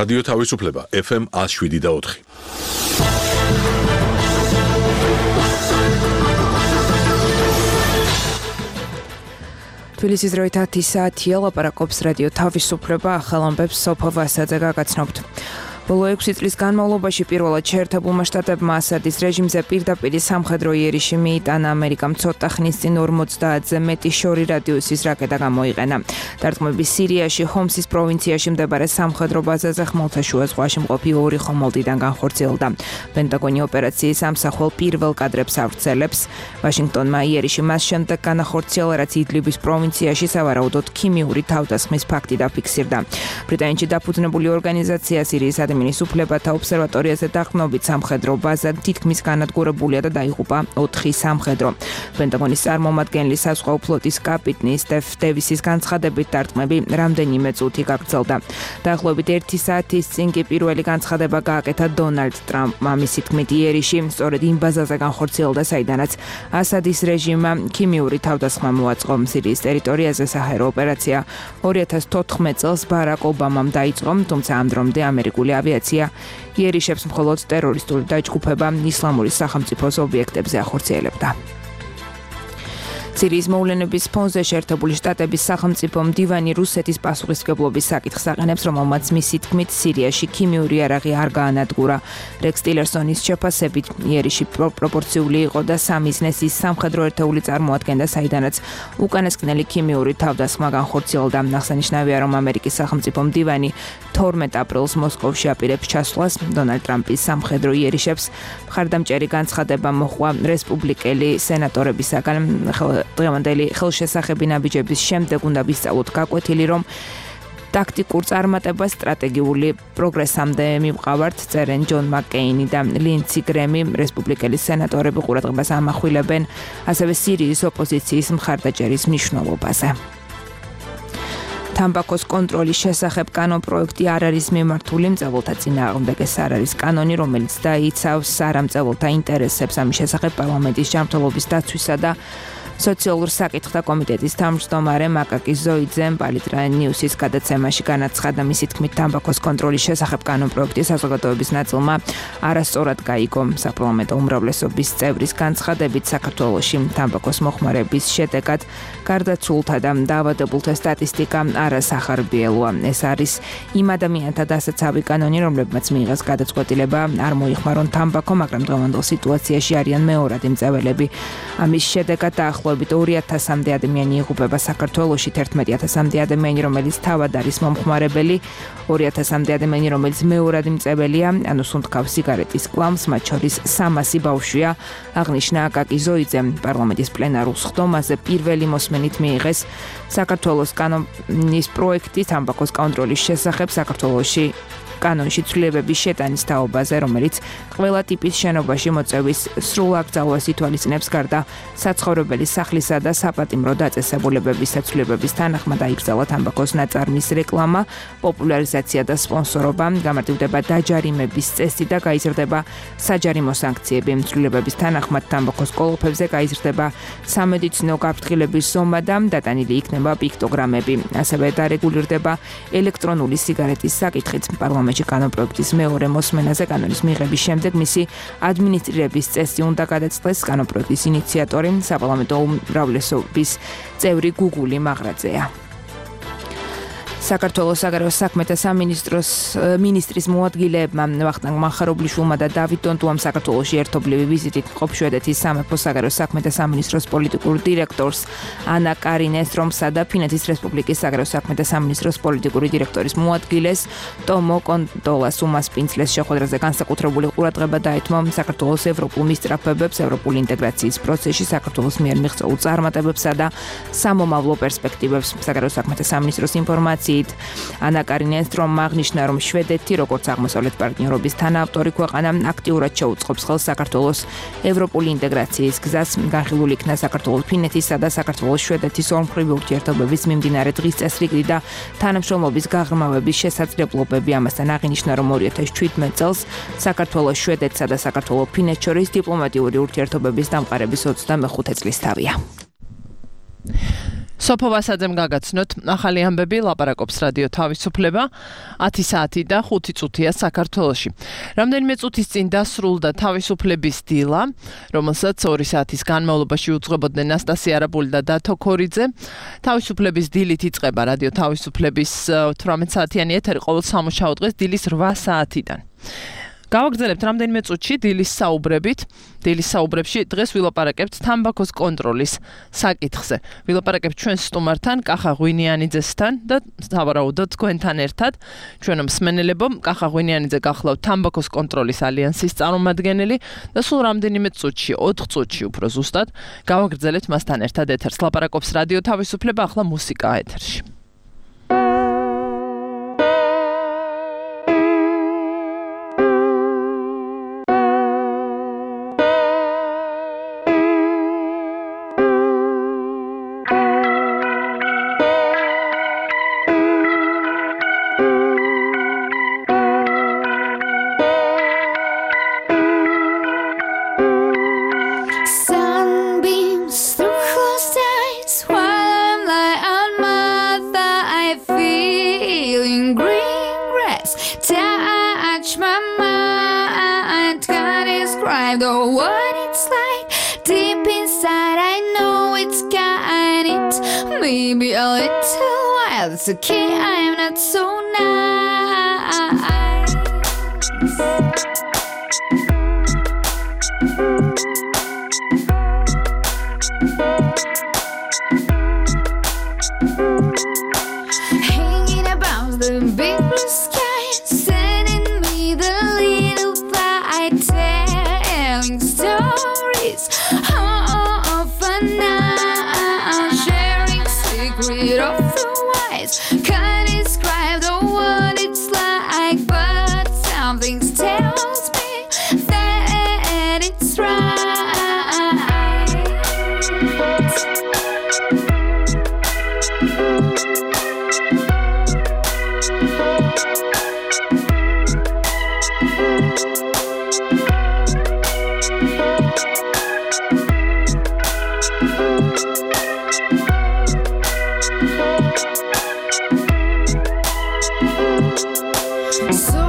რადიო თავისუფლება FM 107.4. თბილისის დროით 10 საათია, ლაპარაკობს რადიო თავისუფლება, ახალ ამბებს სოფო ვასაძე გაგაცნობთ. ბოლო 6 წლის განმავლობაში პირველად შეერთებულმა შტატებმა ასადის რეჟიმზე პირდაპირ სამხედრო იერიში მიიტანა. ამერიკამ ცოტა ხნის წინ 50-ზე მეტი შორი რადიუსის რაკეტა გამოიყენა. დარტყმები სირიაში, ჰომსის პროვინციაში მდებარე სამხედრო ბაზაზე ხმელთაშუა ზღვაში მყოფი 2 ხომალდიდან განხორციელდა. პენტაგონი ოპერაციის ამსახველ პირველ კადრებს ავრცელებს. ვაშინგტონმა იერიში მას შემდეგ განახორციელა, რაც იდლიბის პროვინციაში სავარაუდოდ ქიმიური თავდასხმის ფაქტი დაფიქსირდა. ბრიტანეთში დაფუძნებული ორგანიზაცია სირიის адმინის უფლებათა ობსერვატორიაზე დახმობით სამხედრო ბაზა თითქმის განადგურებულია და დაიღუპა 4 სამხედრო. პენტაგონის წარმომადგენელი საზღვაო ფლოტის კაპიტანი სტეფ დევისის განცხადებით დარტყმები რამდენიმე წუთი გაგრძელდა. დაახლოებით 1 საათის წინ კი პირველი განცხადება გააკეთა დონალდ ტრამპმა. მისი თქმით, იერიში სწორედ იმ ბაზაზე განხორციელდა, საიდანაც ასადის რეჟიმმა ქიმიური თავდასხმა მოაწყო. სირიის ტერიტორიაზე საჰაერო ოპერაცია 2014 წელს ბარაკ ობამამ დაიწყო, თუმცა ამ დრომდე ამერიკული ავიაცია იერიშებს მხოლოდ ტერორისტული დაჯგუფება ისლამური სახელმწიფოს ობიექტებზე ახორციელებდა. სირიის მოვლენების ფონზე შეერთებული შტატების სახელმწიფო მდივანი რუსეთის პასუხისმგებლობის საკითხს აყენებს, რომელმაც მისი თქმით სირიაში ქიმიური იარაღი არ გაანადგურა. რექს ტილერსონის შეფასებით იერიში პროპორციული იყო და სამიზნეს ის სამხედრო ერთეული წარმოადგენდა, საიდანაც უკანასკნელი ქიმიური თავდასხმა განხორციელდა. აღსანიშნავია, რომ ამერიკის სახელმწიფო მდივანი 12 აპრილს მოსკოვში აპირებს ჩასვლას. დონალდ ტრამპის სამხედრო იერიშებს მხარდამჭერი განცხადება მოჰყვა რესპუბლიკელი სენატორებისაგან. დღევანდელი ხელშესახები ნაბიჯების შემდეგ უნდა ვისწავლოთ გაკვეთილი, რომ ტაქტიკურ წარმატებას სტრატეგიული პროგრესამდე მივყავართ, წერენ ჯონ მაკკეინი და ლინცი გრემი. რესპუბლიკელი სენატორები ყურადღებას ამახვილებენ ასევე სირიის ოპოზიციის მხარდაჭერის მნიშვნელობაზე. თამბაქოს კონტროლის შესახებ კანონპროექტი არ არის მიმართული მწებელთა წინააღმდეგ. ეს არ არის კანონი, რომელიც დაიცავს არამწებელთა ინტერესებს. ამის შესახებ პარლამენტის ჯანმრთელობის დაცვისა და სოციალურ საკითხთა კომიტეტის თავმჯდომარე მაკაკი ზოიძემ პალიტრა ნიუსის გადაცემაში განაცხადა, მისი თქმით, თამბაქოს კონტროლის შესახებ კანონპროექტი საზოგადოების ნაწილმა არასწორად გაიგო. საპარლამენტო უმრავლესობის წევრის განცხადებით, საქართველოში თამბაქოს მოხმარების შედეგად გარდაცვლთა და დაავადებულთა სტატისტიკა არასახარბიელოა. ეს არის იმ ადამიანთა დასაცავი კანონი, რომლებმაც მიიღეს გადაწყვეტილება არ მოიხმარონ თამბაქო, მაგრამ დღევანდელ სიტუაციაში არიან მეორადი მწველები. ამის შედეგად დაახლოებით 2000-მდე ადამიანი იღუპება საქართველოში, 11,000-მდე ადამიანი, რომელიც თავად არის მომხმარებელი, 2,000-მდე ადამიანი, რომელიც მეორადი მწებელია, ანუ სუნთქავს სიგარეტის კლამს, მათ შორის 300 ბავშვია, აღნიშნა აკაკი ზოიძემ. პარლამენტის პლენარულ სხდომაზე პირველი მოსმენით მიიღეს საქართველოს კანონის პროექტი თამბაქოს კონტროლის შესახებ საქართველოში კანონში ცვლილებების შეტანის თაობაზე, რომელიც ყველა ტიპის შენობაში მოწევის სრულ აკრძალვას ითვალისწინებს, გარდა საცხოვრებელი სახლისა და საპატიმრო დაწესებულებების ცვლილებების თანახმად აიკრძალა თამბაქოს ნაწარმის რეკლამა, პოპულარიზაცია და სპონსორობა, გამარტივდება დაჯარიმების წესი და გაიზრდება საჯარიმო სანქციები. ცვლილებების თანახმად თამბაქოს კოლოფებზე გაიზრდება სამედიცინო გაფრთხილების ზომა და დატანილი იქნება პიქტოგრამები. ასევე დარეგულირდება ელექტრონული სიგარეტის საკითხიც. პარლამენტში კანონპროექტის მეორე მოსმენაზე კანონის მიღების შემდეგ მისი ადმინისტრირების წესი უნდა გადაწყდეს. კანონპროექტის ინიციატორი საპარლამენტო უმრავლესობის წევრი გუგული მაღრაძეა. საქართველოს საგარეო საქმეთა სამინისტროს მინისტრის მოადგილეებმა ვახტანგ მახარობლიშვილმა და დავით დონტუამ საქართველოში ერთობლივი ვიზიტით მყოფ შვედეთის სამეფო საგარეო საქმეთა სამინისტროს პოლიტიკურ დირექტორს ანა კარინეს რომსა და ფინეთის რესპუბლიკის საგარეო საქმეთა სამინისტროს პოლიტიკური დირექტორის მოადგილეს ტომო კონტოლას უმასპინძლეს შეხვედრაზე განსაკუთრებული ყურადღება დაეთმო საქართველოს ევროპულ მისწრაფებებს, ევროპული ინტეგრაციის პროცესში საქართველოს მიერ მიღწეულ წარმატებებსა და სამომავლო პერსპექტივებს. საგარეო საქმეთა სამინისტროს ინფორმაციით ანა კარინეს რომ აღნიშნა, რომ შვედეთი, როგორც აღმოსავლეთ პარტნიორობის თანაავტორი ქვეყანა, აქტიურად შეუწყობს ხელს საქართველოს ევროპული ინტეგრაციის გზას. განხილული იქნა საქართველოს ფინეთისა და საქართველოს შვედეთის ორმხრივი ურთიერთობების მიმდინარე დღის წესრიგი და თანამშრომლობის გაღრმავების შესაძლებლობები. ამასთან აღინიშნა, რომ 2017 წელს საქართველოს შვედეთსა და საქართველოს ფინეთს შორის დიპლომატიური ურთიერთობების დამყარების 25 წლის თავია. სოფო ვასაძემ გაგაცნოთ ახალი ამბები ლაპარაკობს რადიო თავისუფლება 10 საათი და 5 წუთია საქართველოში. რამდენიმე წუთის წინ დასრულდა თავისუფლების დილა, რომელსაც 2 საათის განმავლობაში უძღვებოდნენ ნასტასია არაბული და დათო ქორიძე. თავისუფლების დილით იწყება რადიო თავისუფლების 18 საათიანი ეთერი ყოველ სამუშაო დღეს დილის 8 საათიდან. გავაგრძელებთ რამდენიმე წუთში დილის საუბრებით. დილის საუბრებში დღეს ვილაპარაკებთ თამბაქოს კონტროლის საკითხზე. ვილაპარაკებთ ჩვენ სტუმართან, კახა ღვინიანიძესთან და სავარაუდოდ თქვენთან ერთად. ჩვენო მსმენელებო, კახა ღვინიანიძე გახლავთ თამბაქოს კონტროლის ალიანსის წარმომადგენელი და სულ რამდენიმე წუთში, 4 წუთში უფრო ზუსტად, გავაგრძელებთ მასთან ერთად ეთერს. ლაპარაკობს რადიო თავისუფლება, ახლა მუსიკა ეთერში. What it's like deep inside, I know it's got it. Maybe a little while, it's okay, I'm not so nice. Hanging above the big blue sky, sending me the little light. Stories of a night, sharing secret of the wise. Can't describe the what it's like, but something tells me that it's right. So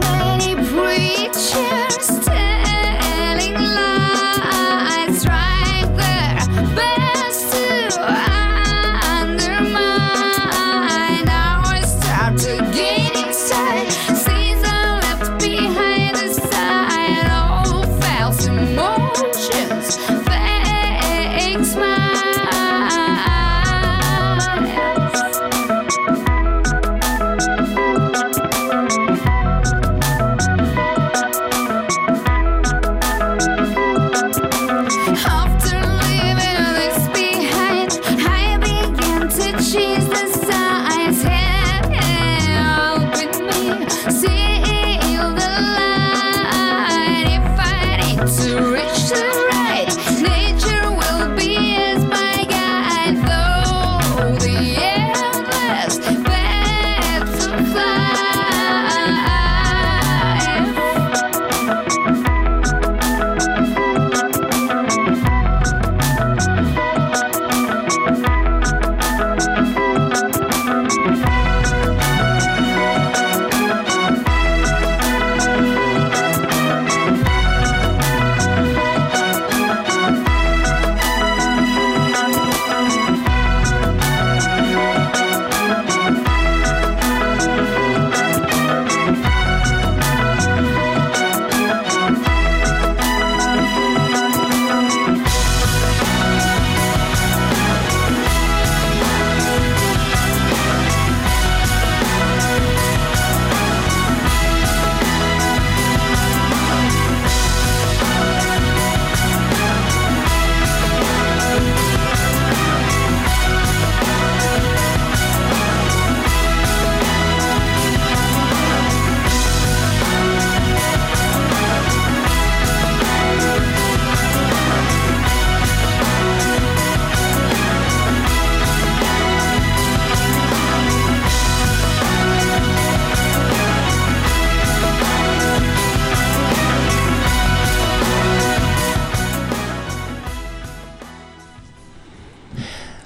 many preachers telling lies, right there, best to undermine. Now I start to gain insight, since I left behind the side. All false emotions, fake smiles. I'm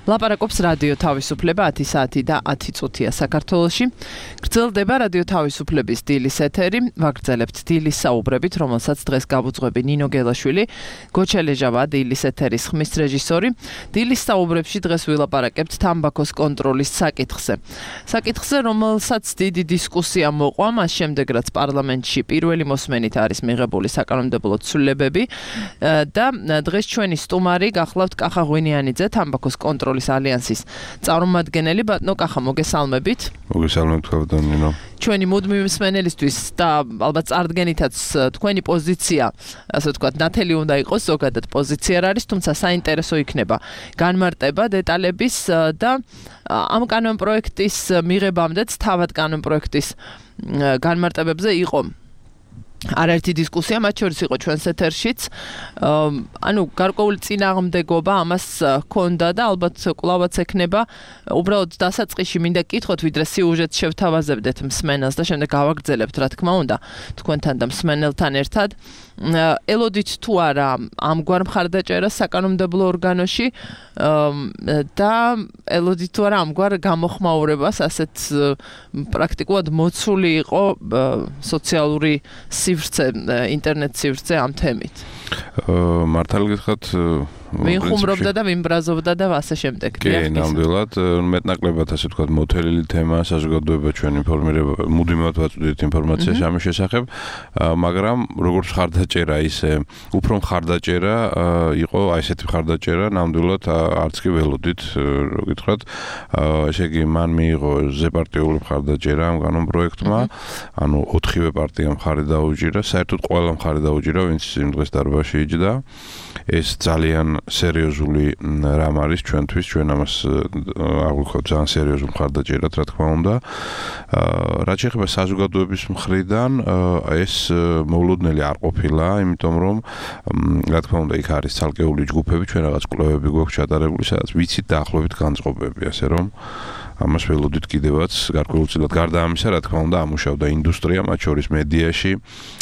ლაპარაკობს რადიო თავისუფლება 10 საათი და 10 წუთია საქართველოში. გრძელდება რადიო თავისუფლების დილის ეთერი. ვაგრძელებთ დილის საუბრებით, რომელსაც დღეს გავუძღვები ნინო გელაშვილი, გოჩელეჟავა დილის ეთერის ხმის რეჟისორი. დილის საუბრებში დღეს ვილაპარაკებთ თამბაქოს კონტროლის საკითხზე. საკითხზე, რომელსაც დიდი დისკუსია მოყვა, მას შემდეგ რაც პარლამენტში პირველი მოსმენით არის მიღებული საკანონმდებლო ცვლილებები და დღეს ჩვენი სტუმარი გახლავთ კახა ღვინიანიძე, თამბაქოს კონტროლის ალიანსის წარმომადგენელი. ბატონო კახა, მოგესალმებით. მოგესალმებით, ბატონო. ჩვენი მუდმივი მსმენელისთვის და ალბათ წარდგენითაც თქვენი პოზიცია, ასე ვთქვათ, ნათელი უნდა იყოს, ზოგადად პოზიცია არ არის, თუმცა საინტერესო იქნება განმარტება დეტალების და ამ კანონპროექტის მიღებამდეც თავად კანონპროექტის განმარტებებზე იყო არაერთი დისკუსია, მათ შორის იყო ჩვენს ეთერშიც. ანუ გარკვეული წინააღმდეგობა ამას ჰქონდა და ალბათ კვლავაც ექნება. უბრალოდ დასაწყისში მინდა გკითხოთ, ვიდრე სიუჟეტს შევთავაზებდეთ მსმენელს და შემდეგ გავაგრძელებთ, რა თქმა უნდა, თქვენთან და მსმენელთან ერთად. ელოდით თუ არა ამგვარ მხარდაჭერას საკანონმდებლო ორგანოში და ელოდით თუ არა ამგვარ გამოხმაურებას, ასეთ პრაქტიკულად მოცული იყო სოციალური სივრცე, ინტერნეტ სივრცე ამ თემით. მართალი გითხრათ, ვინ ხუმრობდა და ვინ ბრაზობდა და ასე შემდეგ. კი, ნამდვილად, მეტნაკლებად ასე ვთქვათ, მოთელილი თემა, საზოგადოება ჩვენ ინფორმირება, მუდმივად ვაწვდით ინფორმაციას ამის შესახებ, მაგრამ როგორც მხარდაჭერა, ისე უფრო მხარდაჭერა იყო, აი ესეთი მხარდაჭერა, ნამდვილად არც კი ველოდით, რო გითხრათ, ესე იგი, მან მიიღო ზეპარტიული მხარდაჭერა ამ კანონპროექტმა, ანუ 4-ვე პარტიამ მხარი დაუჭირა, საერთოდ ყველა მხარი დაუჭირა, ვინც იმ დღეს დარბაზში იჯდა. ეს ძალიან სერიოზული რამ არის ჩვენთვის, ჩვენ ამას აღვიქოთ ძალიან სერიოზულ მხარდაჭერად, რა თქმა უნდა. რაც შეეხება საზოგადოების მხრიდან, ეს მოულოდნელი არ ყოფილა, იმიტომ რომ რა თქმა უნდა იქ არის ცალკეული ჯგუფები, ჩვენ რაღაც კვლევები გვაქვს ჩატარებული, სადაც ვიცით დაახლოებით განწყობები, ასე რომ ამას ველოდით კიდევაც გარკვეულწილად. გარდა ამისა, რა თქმა უნდა, ამუშავდა ინდუსტრია, მათ შორის მედიაში,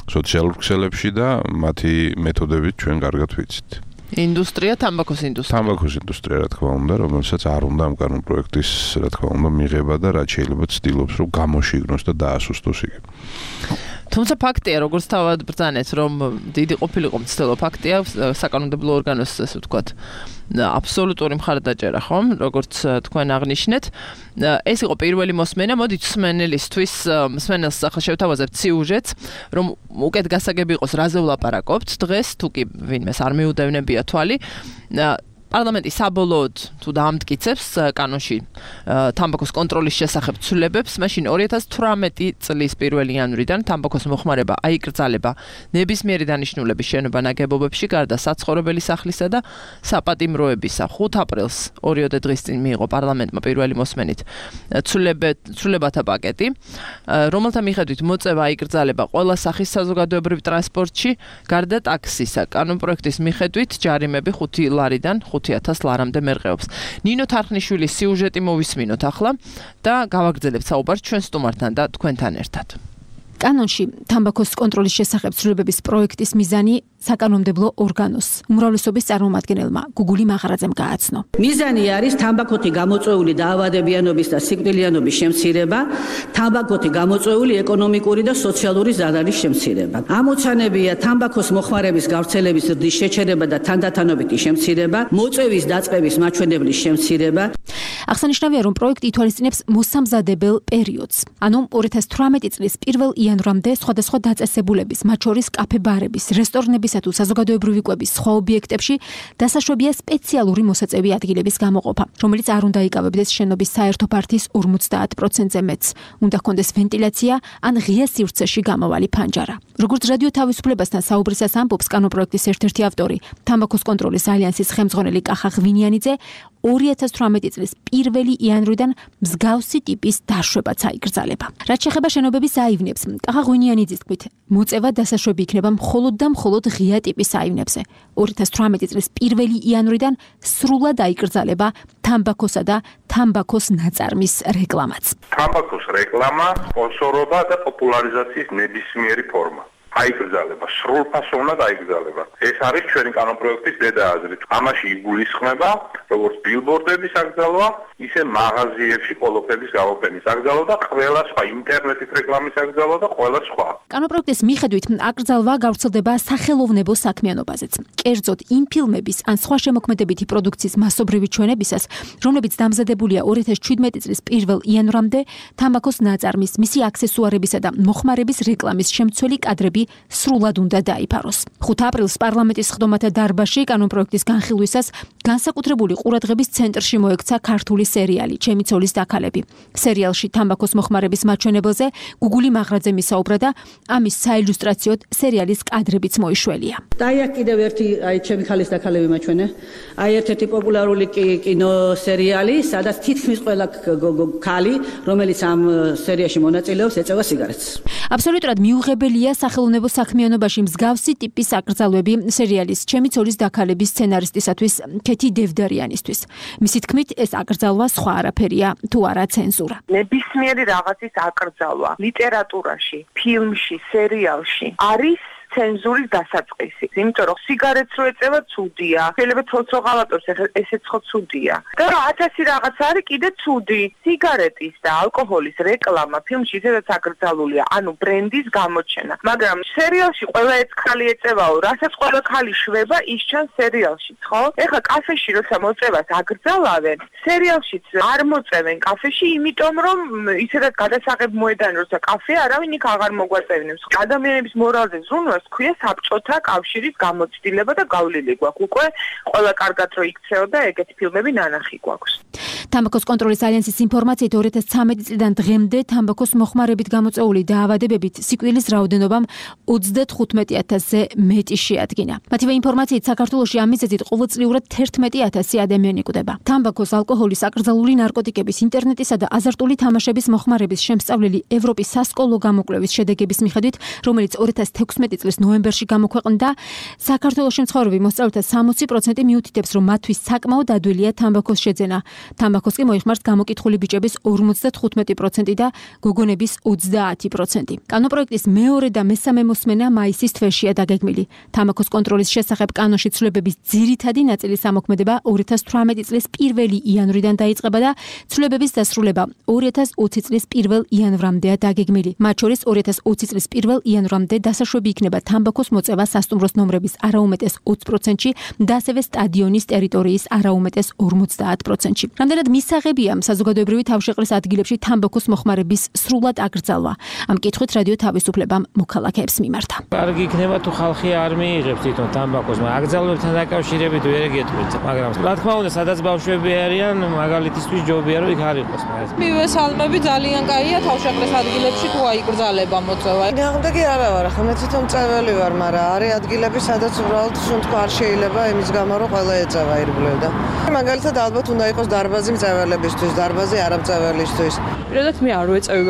სოციალურ ქსელებში და მათი მეთოდებით ჩვენ კარგად ვიცით. ინდუსტრია, თამბაქოს ინდუსტრია. თამბაქოს ინდუსტრია, რა თქმა უნდა, რომელსაც არ უნდა ამ კანონპროექტის, რა თქმა უნდა, მიღება და რაც შეიძლება ცდილობს, რომ გამოშიგნოს და დაასუსტოს იგი. თუმცა ფაქტია, როგორც თავად ბრძანეთ, რომ დიდი ყოფილიყო მცდელო ფაქტია, საკანონმდებლო ორგანოს, ასე ვთქვათ, აბსოლუტური მხარდაჭერა, ხომ, როგორც თქვენ აღნიშნეთ. ეს იყო პირველი მოსმენა, მოდით მსმენელისთვის, მსმენელს ახლა შევთავაზებთ სიუჟეტს, რომ უკეთ გასაგები იყოს, რაზე ვლაპარაკობთ დღეს, თუ კი ვინმეს არ მიუდევნებია თვალი. პარლამენტი საბოლოოდ თუ დაამტკიცებს კანონში თამბაქოს კონტროლის შესახებ ცვლილებებს, მაშინ 2018 წლის 1 იანვრიდან თამბაქოს მოხმარება აიკრძალება ნებისმიერი დანიშნულების შენობა ნაგებობებში, გარდა საცხოვრებელი სახლისა და საპატიმროებისა. 5 აპრილს 2 დღის წინ მიიღო პარლამენტმა პირველი მოსმენით ცვლილებათა პაკეტი, რომელთა მიხედვით მოწევა აიკრძალება ყველა სახის საზოგადოებრივ ტრანსპორტში, გარდა ტაქსისა. კანონპროექტის მიხედვით ჯარიმები 5 ლარიდან 5,000 ლარამდე მერყეობს. ნინო თარხნიშვილის სიუჟეტი მოვისმინოთ ახლა და გავაგრძელებთ საუბარს ჩვენ სტუმართან და თქვენთან ერთად. კანონში თამბაქოს კონტროლის შესახებ ცვლილებების პროექტის მიზანი საკანონმდებლო ორგანოს უმრავლესობის წარმომადგენელმა გუგული მაღარაძემ გააცნო. მიზანი არის თამბაქოთი გამოწვეული დაავადებიანობის და სიკვდილიანობის შემცირება, თამბაქოთი გამოწვეული ეკონომიკური და სოციალური ზარალის შემცირება. ამოცანებია თამბაქოს მოხმარების გავრცელების ზრდის შეჩერება და თანდათანობითი შემცირება, მოწვევის დაწყების მაჩვენებლის შემცირება. აღსანიშნავია, რომ პროექტი ითვალისწინებს მოსამზადებელ პერიოდს, ანუ 2018 წლის 1 იანვრამდე სხვადასხვა დაწესებულების, მათ შორის კაფე-ბარების, რესტორნებისა თუ საზოგადოებრივი კვების სხვა ობიექტებში დასაშვებია სპეციალური მოსაწევი ადგილების გამოყოფა, რომელიც არ უნდა იკავებდეს შენობის საერთო ფართის 50%-ზე მეტს. უნდა ჰქონდეს ვენტილაცია ან ღია სივრცეში გამავალი ფანჯარა. როგორც რადიო თავისუფლებასთან საუბრისას ამბობს კანონპროექტის ერთ-ერთი ავტორი, თამბაქოს კონტროლის ალიანსის ხელმძღვანელი კახა ღვინიანიძე, 2018 წლის 1 იანვრიდან მსგავსი ტიპის დაშვებაც აიკრძალება. რაც შეეხება შენობების აივნებს, კახა ღვინიანიძის თქმით, მოწევა დასაშვები იქნება მხოლოდ და მხოლოდ ღია ტიპის აივნებზე. 2018 წლის 1 იანვრიდან სრულად აიკრძალება თამბაქოსა და თამბაქოს ნაწარმის რეკლამაც. თამბაქოს რეკლამა, სპონსორობა და პოპულარიზაციის ნებისმიერი ფორმა. აიგრძალება, სრულფასო უნდა აიგრძალება. ეს არის ჩვენი კანონპროექტის დედა აზრი. ამაში იგულისხმება როგორც ბილბორდების აკრძალვა, ისე მაღაზიებში პოლოფების გამოფენის აკრძალვა და ყველა სხვა ინტერნეტის რეკლამის აკრძალვა და ყველა სხვა. კანონპროექტის მიხედვით აკრძალვა გავრცელდება სახელოვნებო საქმიანობაზეც. კერძოდ იმ ფილმების ან სხვა შემოქმედებითი პროდუქციის მასობრივი ჩვენებისას, რომლებიც დამზადებულია 2017 წლის 1 იანვრამდე, თამბაქოს ნაწარმის, მისი აქსესუარებისა და მოხმარების რეკლამის შემცველი კადრები სრულად უნდა დაიფაროს. 5 აპრილს პარლამენტის სხდომათა დარბაზში კანონპროექტის განხილვისას განსაკუთრებული ყურადღების ცენტრში მოექცა ქართული სერიალი ჩემი ცოლის დაქალები. სერიალში თამბაქოს მოხმარების მაჩვენებელზე გუგული მაღრაძე მისაუბრა და ამის საილუსტრაციოდ სერიალის კადრებიც მოიშველია. და აი კიდევ ერთი ჩემი ქალის დაქალები მაჩვენე. აი ერთ-ერთი პოპულარული კინო სერიალი, სადაც თითქმის ყველა ქალი, რომელიც ამ სერიაში მონაწილეობს, ეწევა სიგარეტს. აბსოლუტურად მიუღებელია სახელოვნებო საქმიანობაში მსგავსი ტიპის აკრძალვები სერიალის ჩემი ცოლის დაქალების სცენარისტისათვის ქეთი დევდარიანისთვის. მისი თქმით, ეს აკრძალვა სხვა არაფერია, თუ არა ცენზურა. ნებისმიერი რაღაცის აკრძალვა ლიტერატურაში, ფილმში, სერიალში არის ცენზურის დასაწყისი. იმიტომ რომ სიგარეტს რო ეწევა ცუდია, შეიძლება ცოცხალატოს ესეც ხო ცუდია. და 1000 რაღაც არის კიდე ცუდი. სიგარეტის და ალკოჰოლის რეკლამა ფილმში ისედაც აკრძალულია, ანუ ბრენდის გამოჩენა. მაგრამ სერიალში ყველა ეს ხალი ეწევაო, რასაც ყველა ხალი შვება, ის ჩანს სერიალშიც, ხო? ეხლა კაფეში როცა მოწევას აკრძალავენ, სერიალშიც არ მოწევენ კაფეში, იმიტომ რომ ისედაც გადასაღებ მოედანი როცა კაფე არავინ იქ აღარ მოგვაწევინებს. ადამიანების მორალზე ზრუნვას ქვია საბჭოთა კავშირის გამოცდილება და გავლილი გვაქვს. უკვე ყველა კარგად რო იქცეო და ეგეთი ფილმები ნანახი გვაქვს. თამბაქოს კონტროლის ალიანსის ინფორმაციით 2013 წლიდან დღემდე თამბაქოს მოხმარებით გამოწვეული დაავადებებით სიკვდილის რაოდენობამ 35000-ზე მეტი შეადგინა. მათივე ინფორმაციით საქართველოში ამ მიზეზით ყოველწლიურად 11000 ადამიანი კვდება. თამბაქოს, ალკოჰოლის, აკრძალული ნარკოტიკების, ინტერნეტისა და აზარტული თამაშების მოხმარების შემსწავლელი ევროპის სასკოლო გამოკვლევის შედეგების მიხედვით, რომელიც 2016 წლის ნოემბერში გამოქვეყნდა, საქართველოში მცხოვრები მოსწავლეთა 60% მიუთითებს, რომ მათთვის საკმაოდ ადვილია თამბაქოს შეძენა. თამბაქოს კი მოიხმარს გამოკითხული ბიჭების 55% და გოგონების 30%. კანონპროექტის მეორე და მესამე მოსმენა მაისის თვეშია დაგეგმილი. თამბაქოს კონტროლის შესახებ კანონში ცვლილებების ძირითადი ნაწილის ამოქმედება 2018 წლის 1 იანვრიდან დაიწყება და ცვლილებების დასრულება 2020 წლის 1 იანვრამდეა დაგეგმილი. მათ შორის 2020 წლის 1 იანვრამდე დასაშვები იქნება თამბაქოს მოწევა სასტუმროს ნომრების არაუმეტეს 20%-ში და ასევე სტადიონის ტერიტორიის არაუმეტეს 50%-ში. რამდენად მისაღებია საზოგადოებრივი თავშეყრის ადგილებში თამბაქოს მოხმარების სრულად აკრძალვა. ამ კითხვით რადიო თავისუფლებამ მოქალაქეებს მიმართა. კარგი იქნება თუ ხალხი არ მიიღებს თვითონ თამბაქოს, მაგრამ აკრძალვებთან დაკავშირებით ვერ ეგეთქვით, მაგრამ რა თქმა უნდა, სადაც ბავშვები არიან, მაგალითისთვის ჯობია რომ იქ არ იყოს. მივესალმები, ძალიან კაია თავშეყრის ადგილებში თუ აიკრძალება მოწევა. გამდეგი არა ვარ, ახლა მე თვითონ წეველი ვარ, მაგრამ არის ადგილები, სადაც უბრალოდ სუნთქვა არ შეიძლება იმის გამო, რომ ყველა ეწევა ირგვლივ და მაგალითად ალბათ უნდა იყოს დარბაზი მწეველებისთვის, დარბაზი არამწეველისთვის. პირადად მე არ ვეწევი,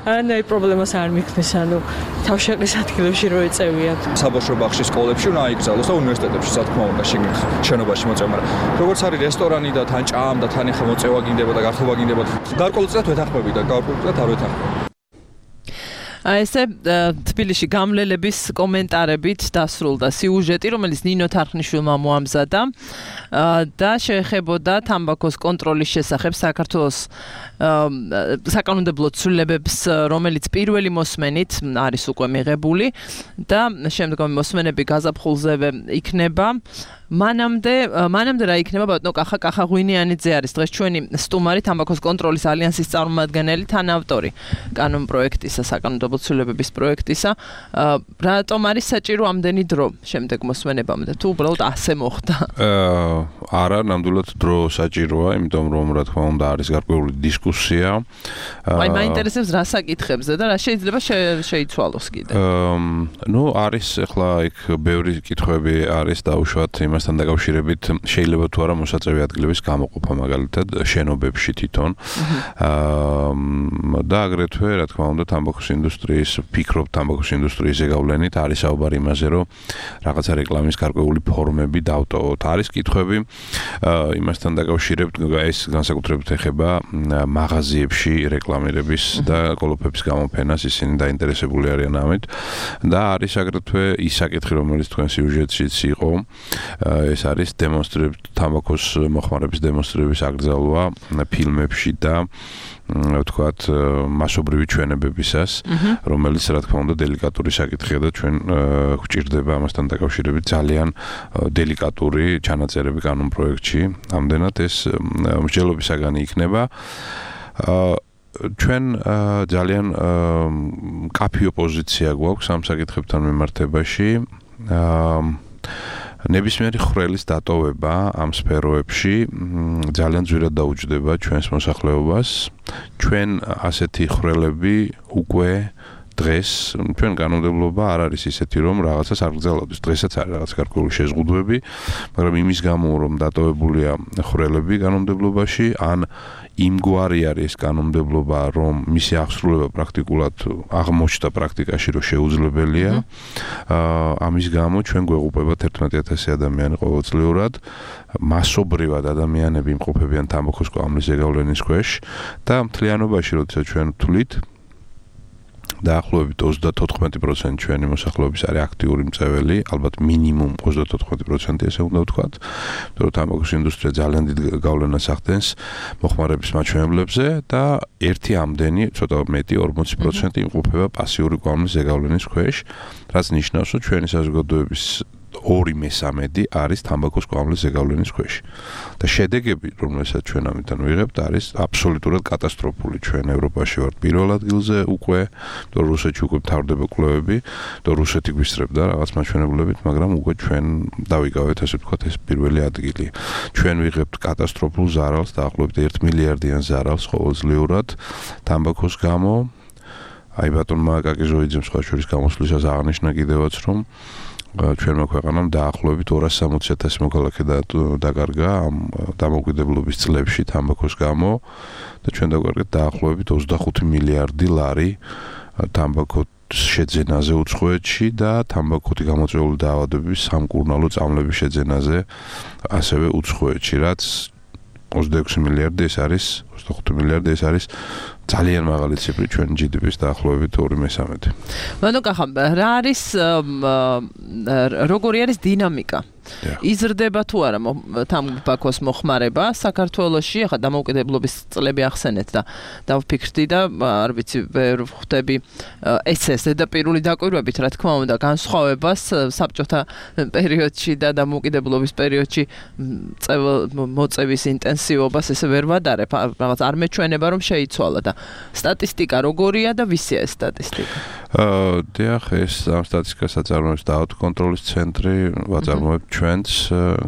არანაირ პრობლემას არ მიქმნის, ანუ თავშეყრის ადგილებში რო ეწევიათ. საბავშვო ბაღში, სკოლებში უნდა აიკრძალოს და უნივერსიტეტებში, რა თქმა უნდა, შენობაში მოწევა, მაგრამ როგორც არის რესტორანი და თან ჭამ და თან ეხა მოწევა გინდება და გართობა გინდება, გარკვეულწილად ვეთანხმები და გარკვეულწილად არ ვეთანხმები. ესე თბილისში გამლელების კომენტარებით დასრულდა სიუჟეტი, რომელიც ნინო თარხნიშვილმა მოამზადა და შეეხებოდა თამბაქოს კონტროლის შესახებ საქართველოს საკანონმდებლო ცვლილებებს, რომელიც პირველი მოსმენით არის უკვე მიღებული და შემდგომი მოსმენები გაზაფხულზევე იქნება. მანამდე რა იქნება ბატონო კახა ღვინიანიძე არის დღეს ჩვენი სტუმარი თამბაქოს კონტროლის ალიანსის წარმომადგენელი თანავტორი კანონპროექტისა, საკანონმდებლო ცვლილებების პროექტისა. რატომ არის საჭირო ამდენი დრო შემდეგ მოსმენებამდე თუ უბრალოდ ასე მოხდა? არა, ნამდვილად დრო საჭიროა, იმიტომ რომ რა თქმა უნდა არის გარკვეული დისკუსია. აი მაინტერესებს რა საკითხებზე და რა შეიძლება შეიცვალოს კიდე. ნუ არის ახლა იქ ბევრი კითხვები არის დაუშვათ იმასთან დაკავშირებით, შეიძლება თუ არა მოსაწევი ადგილების გამოყოფა მაგალითად შენობებში თვითონ. და აგრეთვე რა თქმა უნდა თამბაქოს ინდუსტრიის, ფიქრობ თამბაქოს ინდუსტრიის ზეგავლენით არის საუბარი იმაზე, რომ რაღაცა რეკლამის გარკვეული ფორმები დავტოვოთ. არის კითხვები იმასთან დაკავშირებით ეს განსაკუთრებით ეხება მაღაზიებში რეკლამირების და კოლოფების გამოფენას, ისინი დაინტერესებული არიან ამით და არის აგრეთვე ის საკითხი, რომელიც თქვენ სიუჟეტშიც იყო, ეს არის თამბაქოს მოხმარების დემონსტრირების აკრძალვა ფილმებში და ვთქვათ, მასობრივი ჩვენებებისას, რომელიც რა თქმა უნდა დელიკატური საკითხია და ჩვენ გვჭირდება ამასთან დაკავშირებით ძალიან დელიკატური ჩანაწერები კანონპროექტში. ამდენად ეს მსჯელობის საგანი იქნება. ჩვენ ძალიან კაფიო პოზიცია გვაქვს ამ საკითხებთან მიმართებაში. ნებისმიერი ხვრელის დატოვება ამ სფეროებში ძალიან ძვირად დაუჯდება ჩვენს მოსახლეობას. ჩვენ ასეთი ხვრელები უკვე დღეს ჩვენ კანონმდებლობა არ არის ისეთი, რომ რაღაცას არ გრძელავდეს. დღესაც არის რაღაც გარკვეული შეზღუდვები, მაგრამ იმის გამო, რომ დატოვებულია ხვრელები კანონმდებლობაში, ან იმგვარი არის კანონმდებლობა, რომ მისი აღსრულება პრაქტიკულად აღმოჩნდა პრაქტიკაში, რომ შეუძლებელია. ამის გამო ჩვენ გვეღუპება 11,000 ადამიანი ყოველწლიურად. მასობრივად ადამიანები იმყოფებიან თამბაქოს კვამლის ზეგავლენის ქვეშ და მთლიანობაში, როდესაც ჩვენ ვთვლით, დაახლოებით 34% ჩვენი მოსახლეობის არის აქტიური მწვეველი, ალბათ მინიმუმ 34% ესე უნდა ვთქვათ, რომ თამბაქოს ინდუსტრია ძალიან დიდ გავლენას ახდენს მოხმარების მაჩვენებლებზე და ერთი ამდენი, ცოტა მეტი 40% იმყოფება პასიური კვამლის ზეგავლენის ქვეშ, რაც ნიშნავს, რომ ჩვენი საზოგადოების 2/3 არის თამბაქოს კვამლის ზეგავლენის ქვეშ. და შედეგები, რომელსაც ჩვენ ამიტომ ვიღებთ, არის აბსოლუტურად კატასტროფული. ჩვენ ევროპაში ვართ პირველ ადგილზე უკვე, და რუსეთში უკვე მთავრდება კვლევები, და რუსეთი გვისწრებდა რაღაც მაჩვენებლებით, მაგრამ უკვე ჩვენ დავიკავეთ, ასე ვთქვათ, ეს პირველი ადგილი. ჩვენ ვიღებთ კატასტროფულ ზარალს, დაახლოებით 1 მილიარდიან ზარალს ყოველწლიურად თამბაქოს გამო. აი ბატონმა კაკიჟოიძემ სხვა შორის გამოსვლისას აღნიშნა კიდევაც, რომ ჩვენმა ქვეყანამ დაახლოებით 260,000 მოქალაქე დაკარგა ამ დამოუკიდებლობის წლებში თამბაქოს გამო და ჩვენ დავკარგეთ დაახლოებით 25 მილიარდი ლარი თამბაქოს შეძენაზე უცხოეთში და თამბაქოთი გამოწვეული დაავადებების სამკურნალო წამლების შეძენაზე ასევე უცხოეთში, რაც 26 მილიარდი ეს არის 25 მილიარდი ეს არის ძალიან მაღალი ციფრი ჩვენ GDP-ს დაახლოებით 2/3. ბატონო კახა, რა არის როგორი არის დინამიკა? იზრდება თუ არა თამბაქოს მოხმარება საქართველოში? ახლა დამოუკიდებლობის წლები ახსენეთ და დავფიქრდი და არ ვიცი, ვერ ხვდები ეს ზედაპირული დაკვირვებით, რა თქმა უნდა, განსხვავებას საბჭოთა პერიოდში და დამოუკიდებლობის პერიოდში მოწევის ინტენსივობას ესე ვერ ვადარებ, რაღაც არ მეჩვენება რომ შეიცვალა და სტატისტიკა როგორია და ვისია ეს სტატისტიკა? დიახ, ეს ამ სტატისტიკას აწარმოებს დაავადების კონტროლის ცენტრი, ვაწარმოებ ჩვენც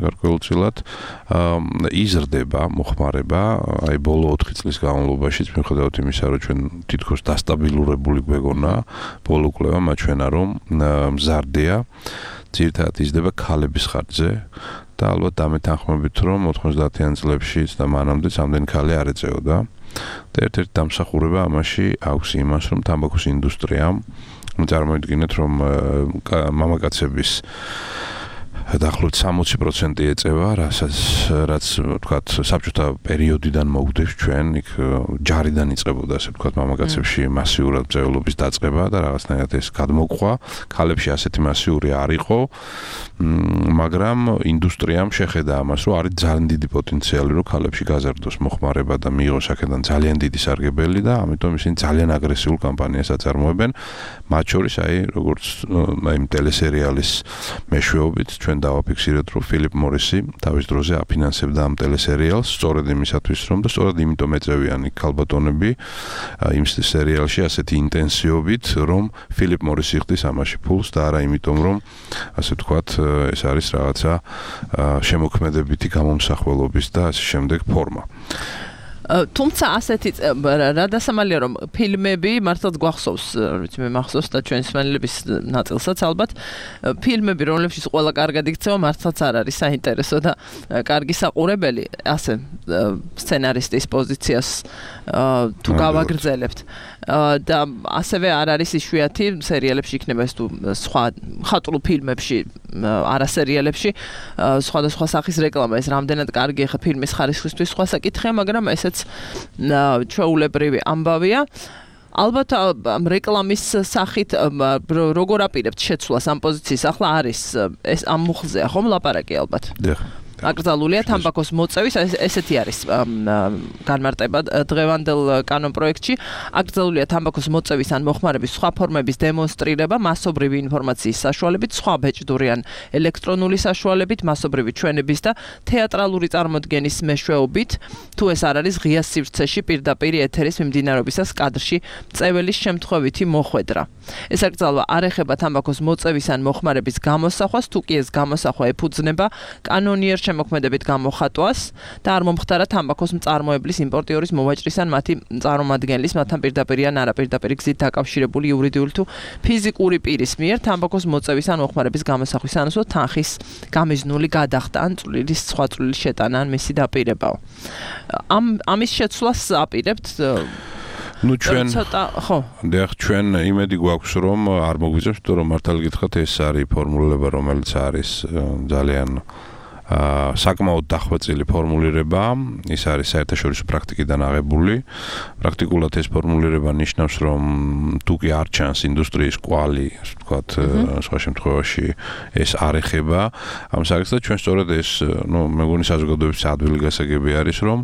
გარკვეულწილად. იზრდება მოხმარება, აი ბოლო 4 წლის განმავლობაში, მიუხედავად იმისა, რომ ჩვენ თითქოს დასტაბილურებული გვეგონა, ბოლო კვლევა მაჩვენა, რომ მზარდია, ძირითადად იზრდება ქალების ხარჯზე და ალბათ დამეთანხმებით, რომ 90-იან წლებში და მანამდე ამდენი ქალი არ ეწეოდა. და ერთ-ერთი დამსახურება ამაში აქვს იმას, რომ თამბაქოს ინდუსტრიამ წარმოიდგინეთ, რომ მამაკაცების დაახლოებით 60% ეწევა, რაც ვთქვათ, საბჭოთა პერიოდიდან მოგვდებს ჩვენ, იქ ჯარიდან იწყებოდა, ასე ვთქვათ, მამაკაცებში მასიურად მწვერვალობის დაწყება და რაღაცნაირად ეს გადმოყვა. ქალებში ასეთი მასიური არ იყო, მაგრამ ინდუსტრიამ შეხედა ამას, რომ არის ძალიან დიდი პოტენციალი, რომ ქალებში გაზარდოს მოხმარება და მიიღოს აქედან ძალიან დიდი სარგებელი და ამიტომ ისინი ძალიან აგრესიულ კამპანიას აწარმოებენ. მათ შორის აი როგორც აი ტელესერიალის მეშვეობით ჩვენ დავაფიქსირეთ, რომ ფილიპ მორისი თავის დროზე აფინანსებდა ამ ტელესერიალს, სწორედ იმისათვის, რომ და სწორედ იმიტომ ეწევიან იქ ქალბატონები იმ სერიალში ასეთი ინტენსივობით, რომ ფილიპ მორისი ხდის ამაში ფულს და არა იმიტომ, რომ ასე ვთქვათ, ეს არის რაღაცა შემოქმედებითი გამომსახველობის და ასე შემდეგ ფორმა. თუმცა ასეთი რა დასამალია რომ ფილმები მართლაც გვახსოვს, ვიცი მე მახსოვს და ჩვენი მსმენელების ნაწილსაც ალბათ ფილმები რომლებშიც ყველა კარგად იქცევა მართლაც არ არის საინტერესო და კარგი საყურებელი ასე სცენარისტის პოზიციას თუ გავაგრძელებთ და ასევე არ არის იშვიათი სერიალებში იქნება ეს თუ სხვა ხატრულ ფილმებში არასერიალებში სხვადასხვა სახის რეკლამა ეს რამდენად კარგი ხა ფილმის ხარისხისთვის სხვა საკითხია მაგრამ ესეც ჩვეულებრივი ამბავია ალბათ რეკლამის სახით როგორ აპირებთ შეცვლას ამ პოზიციის ახლა არის ეს ამ მუხლზეა ხომ ლაპარაკი ალბათ აკრძალულია თამბაქოს მოწევის ესეთი არის განმარტება დღევანდელ კანონპროექტში აკრძალულია თამბაქოს მოწევის ან მოხმარების სხვა ფორმების დემონსტრირება მასობრივი ინფორმაციის საშუალებით სხვა ბეჭდური ან ელექტრონული საშუალებით მასობრივი ჩვენების და თეატრალური წარმოდგენის მეშვეობით თუ ეს არ არის ღია სივრცეში პირდაპირ ეთერის მიმდინარეობისას კადრში წეველის შემთხვევითი მოხვედრა ეს აკრძალვა არ ეხება თამბაქოს მოწევის ან მოხმარების გამოსახვას თუ კი ეს გამოსახვა ეფუძნება კანონიერ შემოქმედებით გამოხატვას და არ მომხდარა თამბაქოს მწარმოებლის იმპორტიორის მოვაჭრის ან მათი წარმომადგენლის მათთან პირდაპირ ან არაპირდაპირ გზით დაკავშირებული იურიდიული თუ ფიზიკური პირის მიერ თამბაქოს მოწევის ან მოხმარების გამოსახვის ანსო თანხის გამიზნული გადახდა ან წვლილის სხვა წვლილის შეტანა ან მისი დაპირებაო ამის შეცვლას აპირებთ ნუ ჩვენ ხო დიახ ჩვენ იმედი გვაქვს რომ არ მოგვიწევს თუ რომ მართალი გითხრათ ეს არის ფორმულირება რომელიც არის ძალიან საკმაოდ დახვეწილი ფორმულირება ის არის საერთაშორისო პრაქტიკიდან აღებული პრაქტიკულად ეს ფორმულირება ნიშნავს რომ თუ კი არ ჩანს ინდუსტრიის კვალი ასე ვთქვათ სხვა შემთხვევაში ეს არ ეხება ამ საკითხს და ჩვენ სწორედ ეს ნუ მეგონი საზოგადოების ადვილი გასაგები არის რომ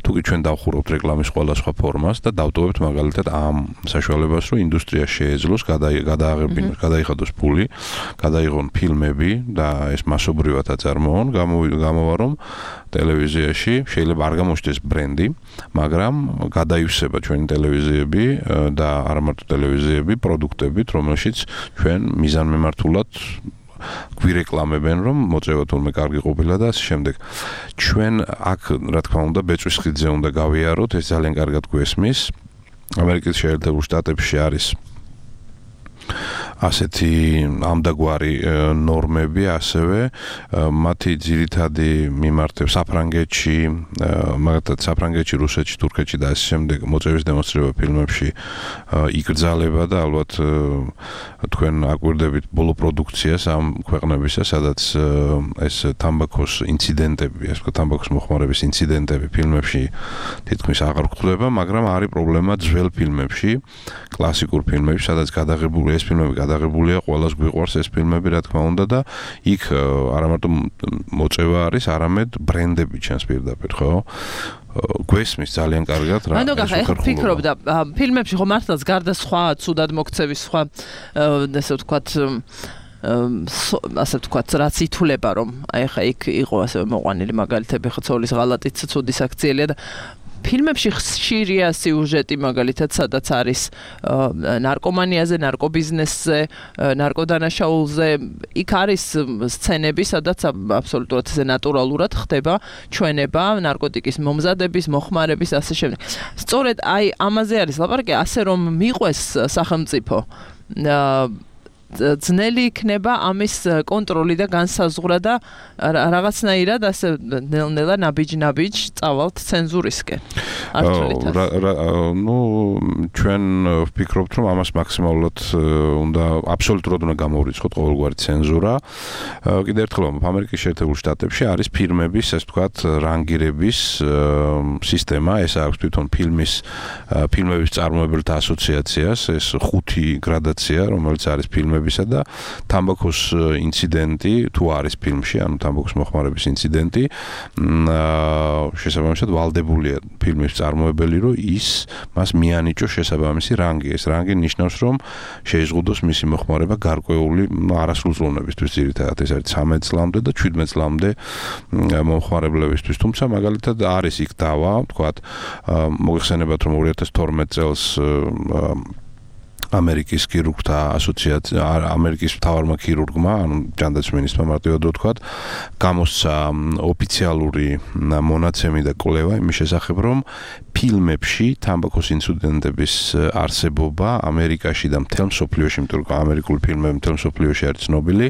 თუ კი ჩვენ დავხურობთ რეკლამის სხვადასხვა ფორმას და დავტოვებთ მაგალითად ამ საშუალებას რომ ინდუსტრია შეეძლოს გადაიხადოს ფული გადაიღონ ფილმები და ეს მასობრივად აწარმოონ გამოვა რომ ტელევიზიაში შეიძლება არ გამოჩნდეს ბრენდი, მაგრამ გადაივსება ჩვენი ტელევიზიები და არ მარტო ტელევიზიები, პროდუქტებით, რომელშიც ჩვენ მიზანმემართულად გვირეკლამებენ რომ მოწევა თურმე კარგი ყოფილა და ასე შემდეგ. ჩვენ აქ რა თქმა უნდა ბეწვის ხიდზე უნდა გავიაროთ, ეს ძალიან კარგად გვესმის. ამერიკის შეერთებულ შტატებში არის ასეთი ამდაგვარი ნორმები ასევე მათი ძირითადი მიმართება საფრანგეთში, მაგალითად საფრანგეთში, რუსეთში, თურქეთში და ასე შემდეგ მოწევის დემონსტრირება ფილმებში იკრძალება და ალბათ თქვენ აკვირდებით ბოლო პროდუქციას ამ ქვეყნებისა, სადაც ეს თამბაქოს ინციდენტები, ასე ვთქვათ, თამბაქოს მოხმარების ინციდენტები ფილმებში თითქმის აღარ გვხვდება, მაგრამ არის პრობლემა ძველ ფილმებში, კლასიკურ ფილმებში, სადაც გადაღებული ეს ფილმები გადაღებულია, ყველას გვიყვარს ეს ფილმები, რა თქმა უნდა და იქ არა მარტო მოწევა არის, არამედ ბრენდები ჩანს პირდაპირ, ხო? გვესმის ძალიან კარგად რა. ანუ ახლა ფიქრობდა ფილმებში ხო მართლაც გარდა სხვა ცუდად მოქცევის სხვა ასე ვთქვათ ასე ვთქვათ რაც ითვლება რომ აი ხა იქ იყო ასე მოყვანილი მაგალითები ხო ცოლის ღალატიც ცუდი საქციელია და ფილმებში ხშირია სიუჟეტი მაგალითად სადაც არის ნარკომანიაზე, ნარკობიზნესზე, ნარკოდანაშაულზე, იქ არის სცენები, სადაც აბსოლუტურად ესე ნატურალურად ხდება ჩვენება, ნარკოტიკის მომზადების, მოხმარების ასე შემდეგ. სწორედ აი ამაზე არის ლაპარაკი, ასე რომ მიყვეს სახელმწიფო ძნელი იქნება ამის კონტროლი და განსაზღვრა და რაღაცნაირად ასე ნელ-ნელა ნაბიჯ-ნაბიჯ წავალთ ცენზურისკენ. ნუ ჩვენ ვფიქრობთ რომ ამას მაქსიმალურად უნდა აბსოლუტურად უნდა გამოვრიცხოთ ყოველგვარი ცენზურა. კიდევ ერთხელ ამერიკის შეერთებულ შტატებში არის ფილმების, ასე ვთქვათ, რანგირების სისტემა, ეს აქვს თვითონ ფილმების წარმომებელთა ასოციაციას, ეს 5 გრადაცია, რომელიც არის ფილმებისა და თამბაქოს ინციდენტი თუ არის ფილმში, ანუ თამბაქოს მოხმარების ინციდენტი, შესაბამისად ვალდებულია ფილმის წარმოებელი, რომ მას მიანიჭოს შესაბამისი რანგი. ეს რანგი ნიშნავს, რომ შეიზღუდოს მისი მოხმარება გარკვეული არასრულწლოვნებისთვის, ძირითადად ეს არის 13 წლამდე და 17 წლამდე მომხმარებლებისთვის. თუმცა მაგალითად არის იქ დავა, ვთქვათ, მოგეხსენებათ რომ 2012 წელს ამერიკის ქირურგთა ასოციაცია, ამერიკის მთავარმა ქირურგმა, ანუ ჯანდაცვის მინისტრმა მარტივად ვთქვათ, გამოსცა ოფიციალური მონაცემი და კვლევა იმის შესახებ, რომ ფილმებში თამბაქოს ინციდენტების არსებობა ამერიკაში და მთელ მსოფლიოში, იმიტომ რომ ამერიკული ფილმები მთელ მსოფლიოში არის ცნობილი,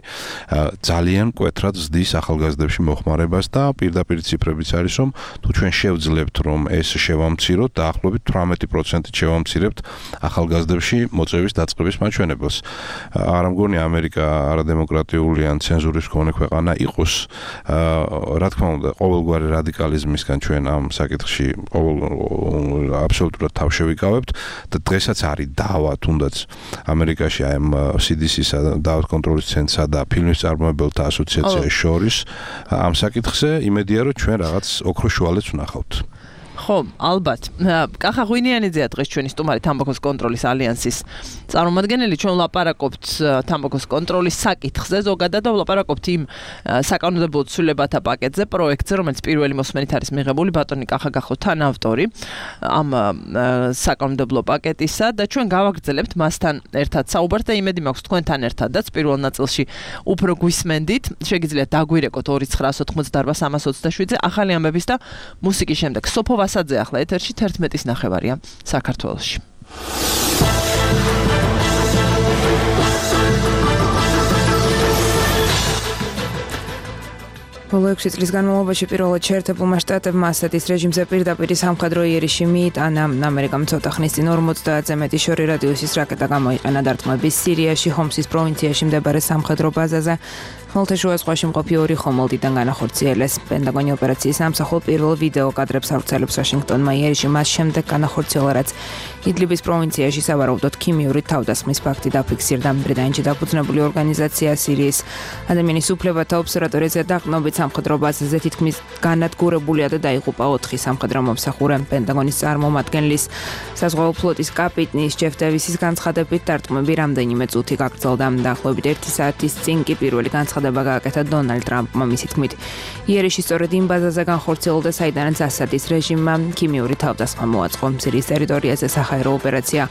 ძალიან მკვეთრად ზრდის ახალგაზრდებში მოხმარებას და პირდაპირ ციფრებიც არის, რომ თუ ჩვენ შევძლებთ, რომ ეს შევამციროთ, დაახლოებით 18% შევამცირებთ ახალგაზრდებში მოწვევის დაწყების მაჩვენებელს. არ მგონია ამერიკა არადემოკრატიული ან ცენზურის მქონე ქვეყანა იყოს. რა თქმა უნდა, ყოველგვარი რადიკალიზმისგან ჩვენ ამ საკითხში აბსოლუტურად თავშევიკავებთ და დღესაც არის დავა თუნდაც ამერიკაში აი ამ CDC-სა და დაავადების კონტროლის ცენტრსა და ფილმის წარმოებელთა ასოციაციის შორის ამ საკითხზე იმედია რომ ჩვენ რაღაც ოქროს შუალედს ვნახავთ. ხო, ალბათ. კახა ღვინიანიძეა დღეს ჩვენი სტუმარი თამბაქოს კონტროლის ალიანსის წარმომადგენელი. ჩვენ ვლაპარაკობთ თამბაქოს კონტროლის საკითხზე ზოგადად და ვლაპარაკობთ იმ საკანონმდებლო ცვლილებათა პაკეტზე, პროექტზე, რომელიც პირველი მოსმენით არის მიღებული. ბატონი კახა გახო თანავტორი ამ საკანონმდებლო პაკეტისა და ჩვენ გავაგრძელებთ მასთან ერთად საუბარს და იმედი მაქვს თქვენთან ერთადაც პირველ ნაწილში უფრო გვისმენდით. შეგიძლიათ დაგვირეკოთ 2988-327-ზე ახალი ამბების და მუსიკის შემდეგ. სოფო ვასაძე ახლა ეთერში 11:09 საქართველოში. ბოლო 6 წლის განმავლობაში პირველად შეერთებულმა შტატებმა ასეთის რეჟიმზე პირდაპირ სამხედრო იერიში მიიტანა. ამერიკამ ცოტა ხნის წინ 50-ზე მეტი შორი რადიუსის რაკეტა გამოიყენა დარტყმების სირიაში, ჰომსის პროვინციაში მდებარე სამხედრო ბაზაზე. ხმელთაშუა ზღვაში მყოფი 2 ხომალდიდან განახორციელეს. პენტაგონი ოპერაციის ამსახველ პირველ ვიდეო კადრებს ავრცელებს ვაშინგტონმა იერიში მას შემდეგ განახორციელა, რაც იდლიბის პროვინციაში სავარაუდოდ ქიმიური თავდასხმის ფაქტი დაფიქსირდა. ბრიტანეთში დაფუძნებული ორგანიზაცია სირიის ადამიანის უფლებათა ობსერვატორიაზე დაყრდნობით სამხედრო ბაზაზე თითქმის განადგურებულია და დაიღუპა 4 სამხედრო მომსახურე. პენტაგონის წარმომადგენლის საზღვაო ფლოტის კაპიტნის ჯეფ დევისის განცხადებით დარტყმები რამდენიმე წუთი გაგრძელდა. დაახლოებით 1 საათის წინ კი პირველი განცხადება გააკეთა დონალდ ტრამპმა. მისი თქმით, იერიში სწორედ იმ ბაზაზე განხორციელდა, საიდანაც ასადის რეჟიმმა ქიმიური თავდასხმა მოაწყო. სირიის ტერიტორიაზე საჰაერო ოპერაცია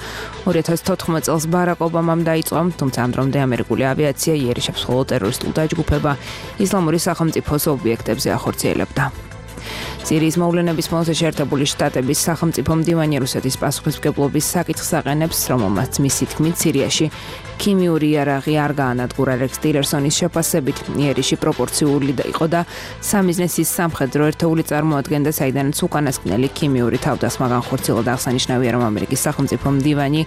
2014 წელს ბარაკ ობამამ დაიწყო, თუმცა ამ დრომდე ამერიკული ავიაცია იერიშებს მხოლოდ ტერორისტულ დაჯგუფება ისლამური სახელმწიფოს ობიექტებზე ახორციელებდა. სირიის მოვლენების ფონზე შეერთებული შტატების სახელმწიფო მდივანი რუსეთის პასუხისმგებლობის საკითხს აყენებს, რომელმაც მისი თქმით სირიაში ქიმიური იარაღი არ გაანადგურა. რექს ტილერსონის შეფასებით იერიში პროპორციული იყო და სამიზნესის სამხედრო ერთეული წარმოადგენდა, საიდანაც უკანასკნელი ქიმიური თავდასხმა განხორციელდა. აღსანიშნავია, რომ ამერიკის სახელმწიფო მდივანი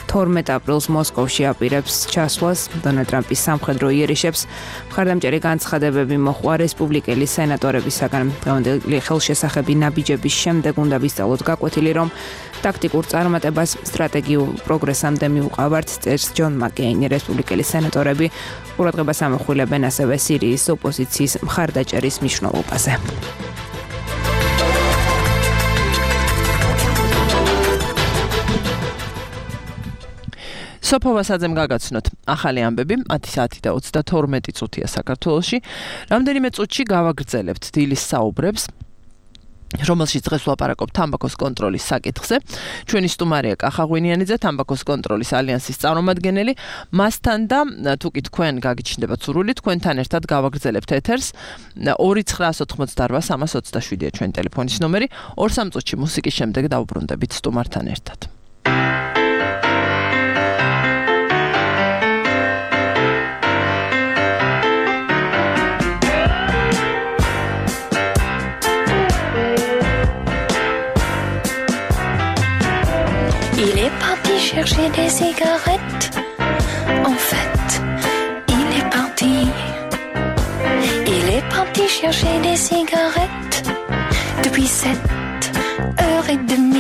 12 აპრილს მოსკოვში აპირებს ჩასვლას დონალდ ტრამპის სამხედრო იერიშებს. მხარდამჭერი განცხადებები მოჰყვა რესპუბლიკელი სენატორებისაგან. დღევანდელი ხელშესახები ნაბიჯების შემდეგ უნდა ვისწავლოთ გაკვეთილი, რომ ტაქტიკურ წარმატებას სტრატეგიულ პროგრესამდე მიუყავართ, წერს ჯონ მაკეინი. რესპუბლიკელი სენატორები ყურადღებას ამახვილებენ ასევე სირიის ოპოზიციის მხარდაჭერის მნიშვნელობაზე. სოფო ვასაძემ გაგაცნოთ ახალი ამბები 10 საათი და 32 წუთია საქართველოში. რამდენიმე წუთში გავაგრძელებთ დილის საუბრებს, რომელშიც დღეს ვლაპარაკობთ თამბაქოს კონტროლის საკითხზე. ჩვენი სტუმარია კახა ღვინიანიძე, თამბაქოს კონტროლის ალიანსის წარმომადგენელი. მასთან და თუ კი თქვენ გაგიჩნდებათ სურვილი, თქვენთან ერთად გავაგრძელებთ ეთერს. 2988-327-ია ჩვენი ტელეფონის ნომერი. 2-3 წუთში მუსიკის შემდეგ დავუბრუნდებით სტუმართან ერთად. Il est parti chercher des cigarettes. En fait, il est parti. Il est parti chercher des cigarettes depuis 7h30.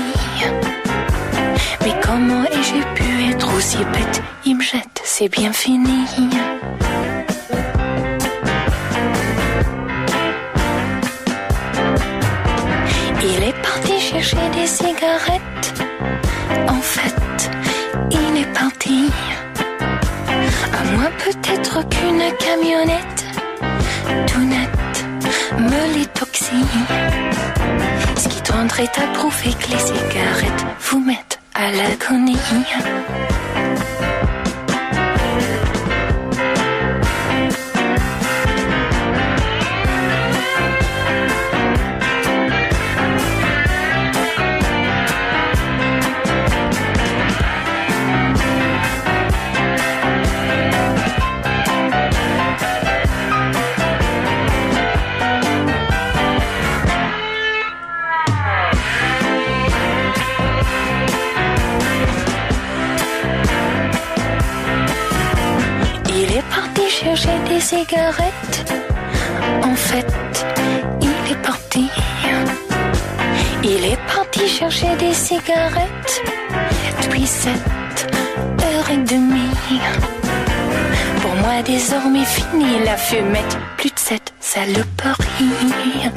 Mais comment ai-je pu être aussi bête? Il me jette, c'est bien fini. Il est parti chercher des cigarettes. En fait, il est parti. À moins peut-être qu'une camionnette tout net me l'étoxie. Ce qui tendrait à prouver que les cigarettes vous mettent à l'agonie. cigarettes. En fait, il est parti. Il est parti chercher des cigarettes depuis 7h30. Pour moi désormais fini la fumette, plus de cette saloperie.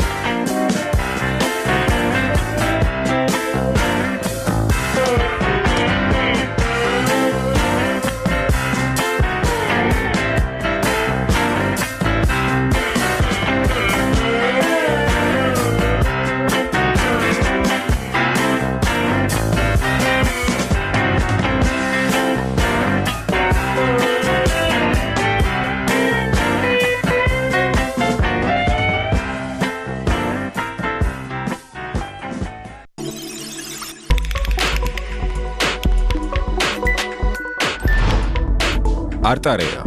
არტარეა.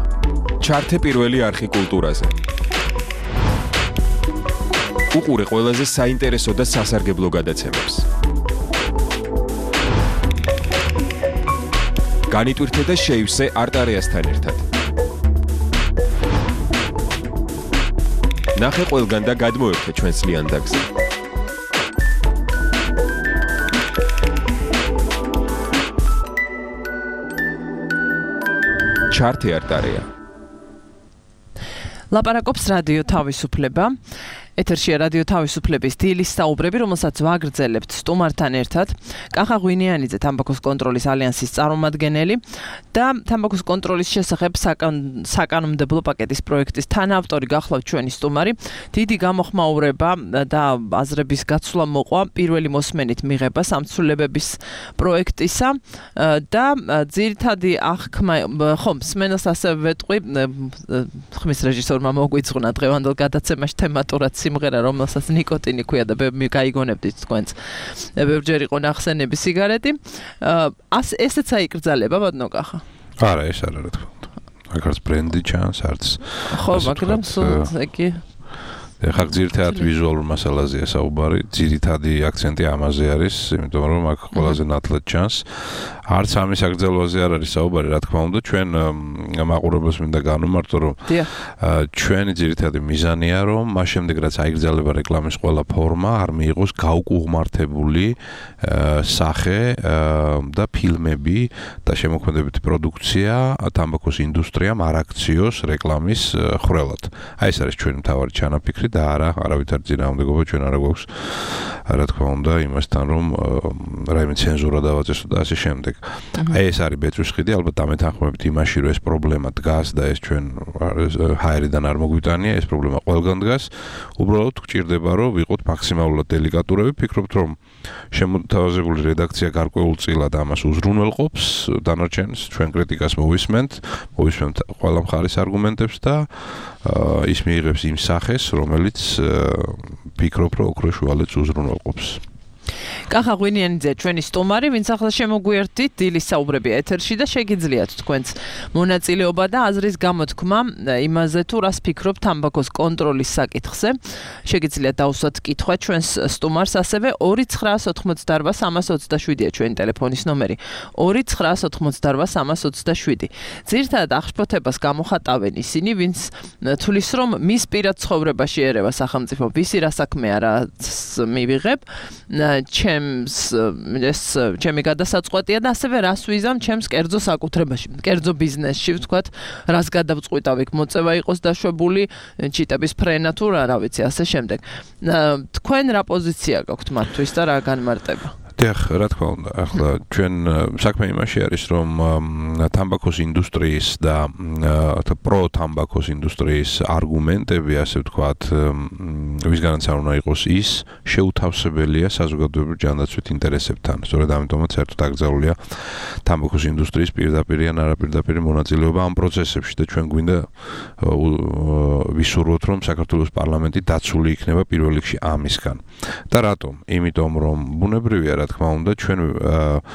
ჩართე პირველი არხი კულტურაზე. უყურე ყველაზე საინტერესო და სასარგებლო გადაცემებს. განიტვირთე და შეივსე არტარეასთან ერთად. ნახე ყველგან და გადმოერთე ჩვენს ლიანდაგზე. ჩართე არტარეა. ლაპარაკობს რადიო თავისუფლება. ეთერშია რადიო თავისუფლების დილის საუბრები, რომელსაც ვაგრძელებთ სტუმართან ერთად. კახა ღვინიანიძე, თამბაქოს კონტროლის ალიანსის წარმომადგენელი და თამბაქოს კონტროლის შესახებ საკანონმდებლო პაკეტის პროექტის თანაავტორი გახლავთ ჩვენი სტუმარი. დიდი გამოხმაურება და აზრების გაცვლა მოყვა პირველი მოსმენით მიღება სამცველებების პროექტისა და ძირითადი აღქმა, ხომ, სმენელს ასევე ვეტყვი, ხმის რეჟისორმა მოგვიძღვნა დღევანდელ გადაცემაში თემატურად სიმღერა, რომელსაც ნიკოტინი ქვია და გაიგონებდით თქვენც. ბევრჯერ იყო ნახსენები სიგარეტი. ესეც აიკრძალება, ბატონო კახა? არა, ეს არა, რა თქმა უნდა. აქაც ბრენდი ჩანს, არც. ხო, მაგრამ სულ კი ეხლა ძირითადად ვიზუალურ მასალაზეა საუბარი, ძირითადი აქცენტი ამაზე არის, იმიტომ რომ აქ ყველაზე ნათლად ჩანს. არც ამის აკრძალვაზე არ არის საუბარი, რა თქმა უნდა, ჩვენ მაყურებელს მინდა განვმარტო, რომ ჩვენი ძირითადი მიზანია, რომ მას შემდეგ რაც აიგრძალება რეკლამის ყველა ფორმა, არ მიიღოს გაუკუღმართებული სახე და ფილმები და შემოქმედებითი პროდუქცია თამბაქოს ინდუსტრიამ არ აქციოს რეკლამის ხრელად. აი ეს არის ჩვენი მთავარი ჩანაფიქრი და არავითარ წინააღმდეგობა ჩვენ არ გვაქვს, რა თქმა უნდა, იმასთან, რომ რაიმე ცენზურა დავაწესო და ასე შემდეგ. აი ეს არის ბეწვის ხიდი, ალბათ დამეთანხმებით იმაში, რომ ეს პრობლემა დგას და ეს ჩვენ ჰაერიდან არ მოგვიტანია, ეს პრობლემა ყველგან დგას. უბრალოდ გვჭირდება, რომ ვიყოთ მაქსიმალურად დელიკატურები, ვფიქრობთ, რომ შემოთავაზებული რედაქცია გარკვეულწილად ამას უზრუნველყოფს, დანარჩენს ჩვენ კრიტიკას მოვისმენთ ყველა მხარის არგუმენტებს და ის მიიღებს იმ სახეს, რომელიც ფიქრობ, რომ ოქროს შუალედს უზრუნველყოფს. კახა ღვინიანიძე, ჩვენი სტუმარი, ვინც ახლა შემოგვიერთდით დილის საუბრები ეთერში და შეგიძლიათ თქვენც მონაწილეობა და აზრის გამოთქმა იმაზე, თუ რას ფიქრობთ თამბაქოს კონტროლის საკითხზე. შეგიძლიათ დაუსვათ კითხვა ჩვენს სტუმარს, ასევე 2988327-ია ჩვენი ტელეფონის ნომერი. 2988327. ძირითადად აღშფოთებას გამოხატავენ ისინი, ვინც თulis რომ მის პირად ცხოვრებაში ერევა სახელმწიფო, ვისი რა საქმეა, რაც მივიღებ. ჩემი გადასაწყვეტია და ასევე რას ვიზამ ჩემს კერძო საკუთრებაში, კერძო ბიზნესში, ვთქვათ, რას გადავწყვიტავ, იქ მოწევა იყოს დაშვებული, ჩიტების ფრენა თუ რა ვიცი, ასე შემდეგ. თქვენ რა პოზიცია გაქვთ მათთვის და რა განმარტება? დიახ, რა თქმა უნდა, ახლა ჩვენ საქმე იმაში არის, რომ თამბაქოს ინდუსტრიის და პრო-თამბაქოს ინდუსტრიის არგუმენტები, ასე ვთქვათ, ვისგანაც არ უნდა იყოს ის შეუთავსებელია საზოგადოებრივ ჯანდაცვით ინტერესებთან. სწორედ ამიტომაც საერთოდ აკრძალულია თამბაქოს ინდუსტრიის პირდაპირ ან არაპირდაპირ მონაწილეობა ამ პროცესებში და ჩვენ გვინდა ვისურვოთ, რომ საქართველოს პარლამენტი დაცული იქნება პირველ რიგში ამისგან. და რატომ? იმიტომ რომ ბუნებრივია, რა თქმა უნდა, ჩვენ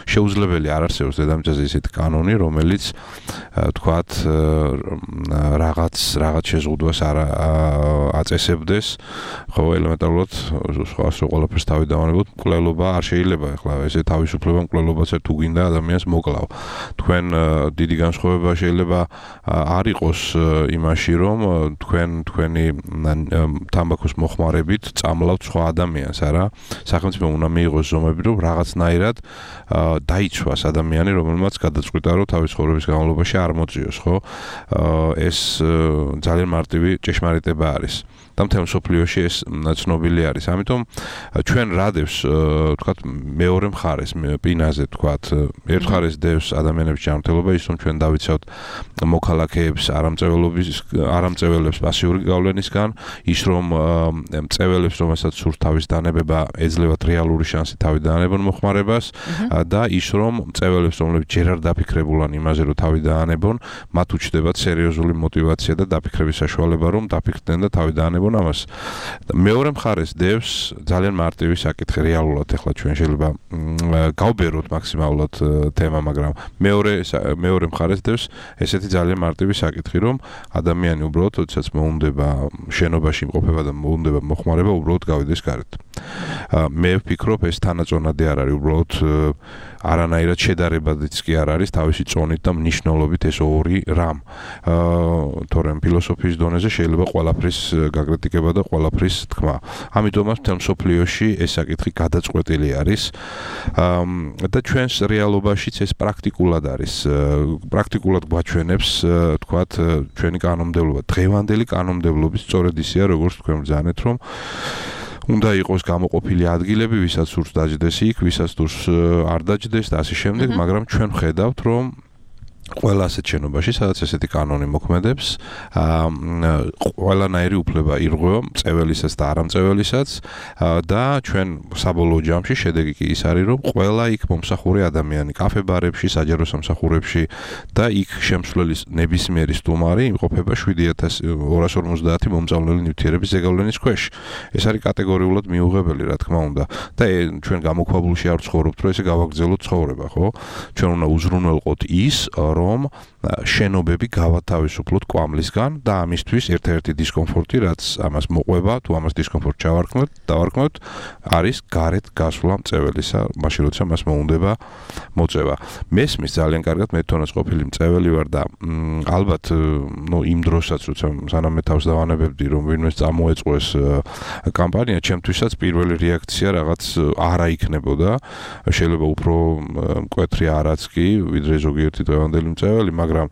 შეუძლებელი არ არსებობს დედამიწაზე ისეთი კანონი, რომელიც თქვათ რაღაც შეზღუდვას არ აწესებდეს, ხო, ელემენტარულად სხვა ყველაფერს თავი დავანებოთ, მკვლელობა არ შეიძლება ახლა ესე თავისუფლება მკვლელობაც თუ გინდა ადამიანს მოკლავ. თქვენ დიდი განსხვავება შეიძლება არ იყოს იმაში, რომ თქვენი თამბაქოს მოხმარებით წამლავთ სხვა ადამიანს, არა? სახელმწიფომ უნდა მიიღოს ზომები, რომ რაღაცნაირად დაიცვას ადამიანი, რომელმაც გადაწყვიტა, რომ თავის ცხოვრების განმავლობაში არ მოწიოს, ხო? ეს ძალიან მარტივი ჭეშმარიტება არის. და მთელ მსოფლიოში ეს ცნობილი არის. ამიტომ ჩვენ რადევს, თქვათ, მეორე მხარეს პინაზე, თქვათ, ერთ მხარეს დევს ადამიანების ჯანმრთელობა, ის რომ ჩვენ დავიცავთ მოქალაქეებს არამწეველებს პასიური გავლენისგან, ის რომ მწეველებს, რომელსაც სურთ თავის დანებება, ეძლევათ რეალური შანსი თავი დაანებონ მოხმარებას და ის რომ მწეველებს, რომლებიც ჯერ არ დაფიქრებულან იმაზე, რომ თავი დაანებონ, მათ უჩნდებათ სერიოზული мотиваცია და დაფიქრების საშუალება, რომ დაფიქრდნენ და თავი დაანებონ ამას. მეორე მხარეს დევს ძალიან მარტივი საკითხი რეალურად, ახლა ჩვენ შეიძლება გავბეროთ მაქსიმალურად თემა, მაგრამ მეორე მხარეს დევს ესეთი ძალიან მარტივი საკითხი, რომ ადამიანი უბრალოდ, როდესაც მოუნდება შენობაში იმყოფება და მოუნდება მოხმარება, უბრალოდ გავიდეს გარეთ. მე ვფიქრობ, ეს თანაწონადი არ არის, უბრალოდ არანაირად შედარებადიც კი არ არის თავისი წონით და მნიშვნელობით ეს ორი რამ. თორემ ფილოსოფიის დონეზე შეიძლება ყველაფრის გაკრიტიკება და ყველაფრის თქმა. ამიტომაც მთელ მსოფლიოში ეს საკითხი გადაწყვეტილი არის და ჩვენს რეალობაშიც ეს პრაქტიკულად არის. პრაქტიკულად გვაჩვენებს, თქვათ, ჩვენი კანონმდებლობა. დღევანდელი კანონმდებლობის სწორედ ისეა, როგორც თქვენ ბრძანეთ, რომ უნდა იყოს გამოყოფილი ადგილები, ვისაც სურს დაჯდეს იქ, ვისაც სურს არ დაჯდეს და ასე შემდეგ, მაგრამ ჩვენ ვხედავთ, რომ ყველა ასეთ შენობაში, სადაც ესეთი კანონი მოქმედებს, ყველანაირი უფლება ირღვევა მწეველისაც და არამწეველისაც და ჩვენ საბოლოო ჯამში შედეგი კი ის არის, რომ ყველა იქ მომსახურე ადამიანი, კაფე-ბარებში, საჯარო სამსახურებში და იქ შემსვლელი ნებისმიერი სტუმარი იმყოფება 7250 მომწავლელი ნივთიერების ზეგავლენის ქვეშ. ეს არის კატეგორიულად მიუღებელი, რა თქმა უნდა. და ჩვენ გამოქვაბულში არ ვცხოვრობთ, რომ ესე გავაგრძელოთ ცხოვრება, ხო? ჩვენ უნდა უზრუნველყოთ ის, რომ შენობები გავათავისუფლოთ კვამლისგან და ამისთვის ერთ-ერთი დისკომფორტი, რაც ამას მოყვება, თუ ამას დისკომფორტ დავარქმევთ, არის გარეთ გასვლა მწეველისა, მაშინ როცა მას მოუნდება მოწევა. მესმის ძალიან კარგად, მე თვითონაც ყოფილი მწეველი ვარ და ალბათ, იმ დროსაც, როცა სანამ მე თავს დავანებებდი, რომ ვინმეს წამოეწყვეს კამპანია, ჩემთვისაც პირველი რეაქცია რაღაც არა იქნებოდა, შეიძლება უფრო მკვეთრი არაც კი, ვიდრე ზოგიერთი დღევანდელი მწეველი, მაგრამ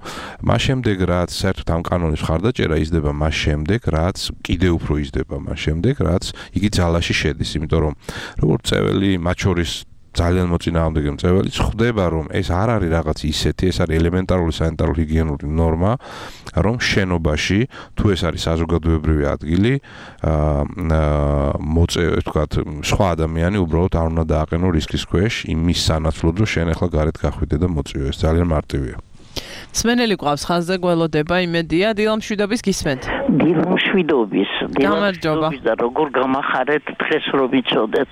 მას შემდეგ რაც საერთოდ ამ კანონის მხარდაჭერა იზრდება მას შემდეგ, რაც კიდევ უფრო იზრდება მას შემდეგ, რაც იგი ძალაში შედის, იმიტომ რომ როგორც მწეველი, მათ შორის ძალიან მოწინააღმდეგე მწეველიც ხვდება, რომ ეს არ არის რაღაც ისეთი, ეს არის ელემენტარული სანიტარულ-ჰიგიენური ნორმა, რომ შენობაში, თუ ეს არის საზოგადოებრივი ადგილი, თქვათ, სხვა ადამიანი უბრალოდ არ უნდა დააყენო რისკის ქვეშ იმის სანაცვლოდ, რომ შენ ახლა გარეთ გახვიდე და მოწიო. ეს ძალიან მარტივია. სმენელი გვყავს ხაზზე, გველოდება, იმედია, დილამშვიდობის გისმენთ. დილამშვიდობის და როგორ გამახარეთ დღეს რომ ვიცოდეთ.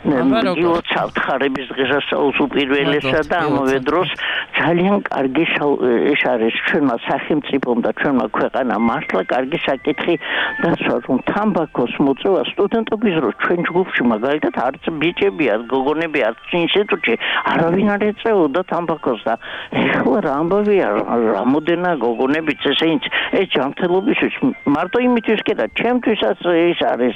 მოგილოცავთ ხარების დღესასწაულს უპირველესად და ამავე დროს ძალიან კარგი ეს არის ჩვენმა სახელმწიფომ და ჩვენმა ქვეყანამ მართლა კარგი საკითხი დასვა, რომ თამბაქოს მოწევა სტუდენტობის დროს ჩვენ ჯგუფში მაგალითად არც ბიჭები, არც გოგონები, არც ინსტიტუტში არავინ არ ეწეოდა თამბაქოს და ეხლა რა ამბავია, რამოდენა გოგონებიც ესეც ეს ჯანმრთელობისთვის მარტო იმისთვის კი და ჩემთვისაც ეს არის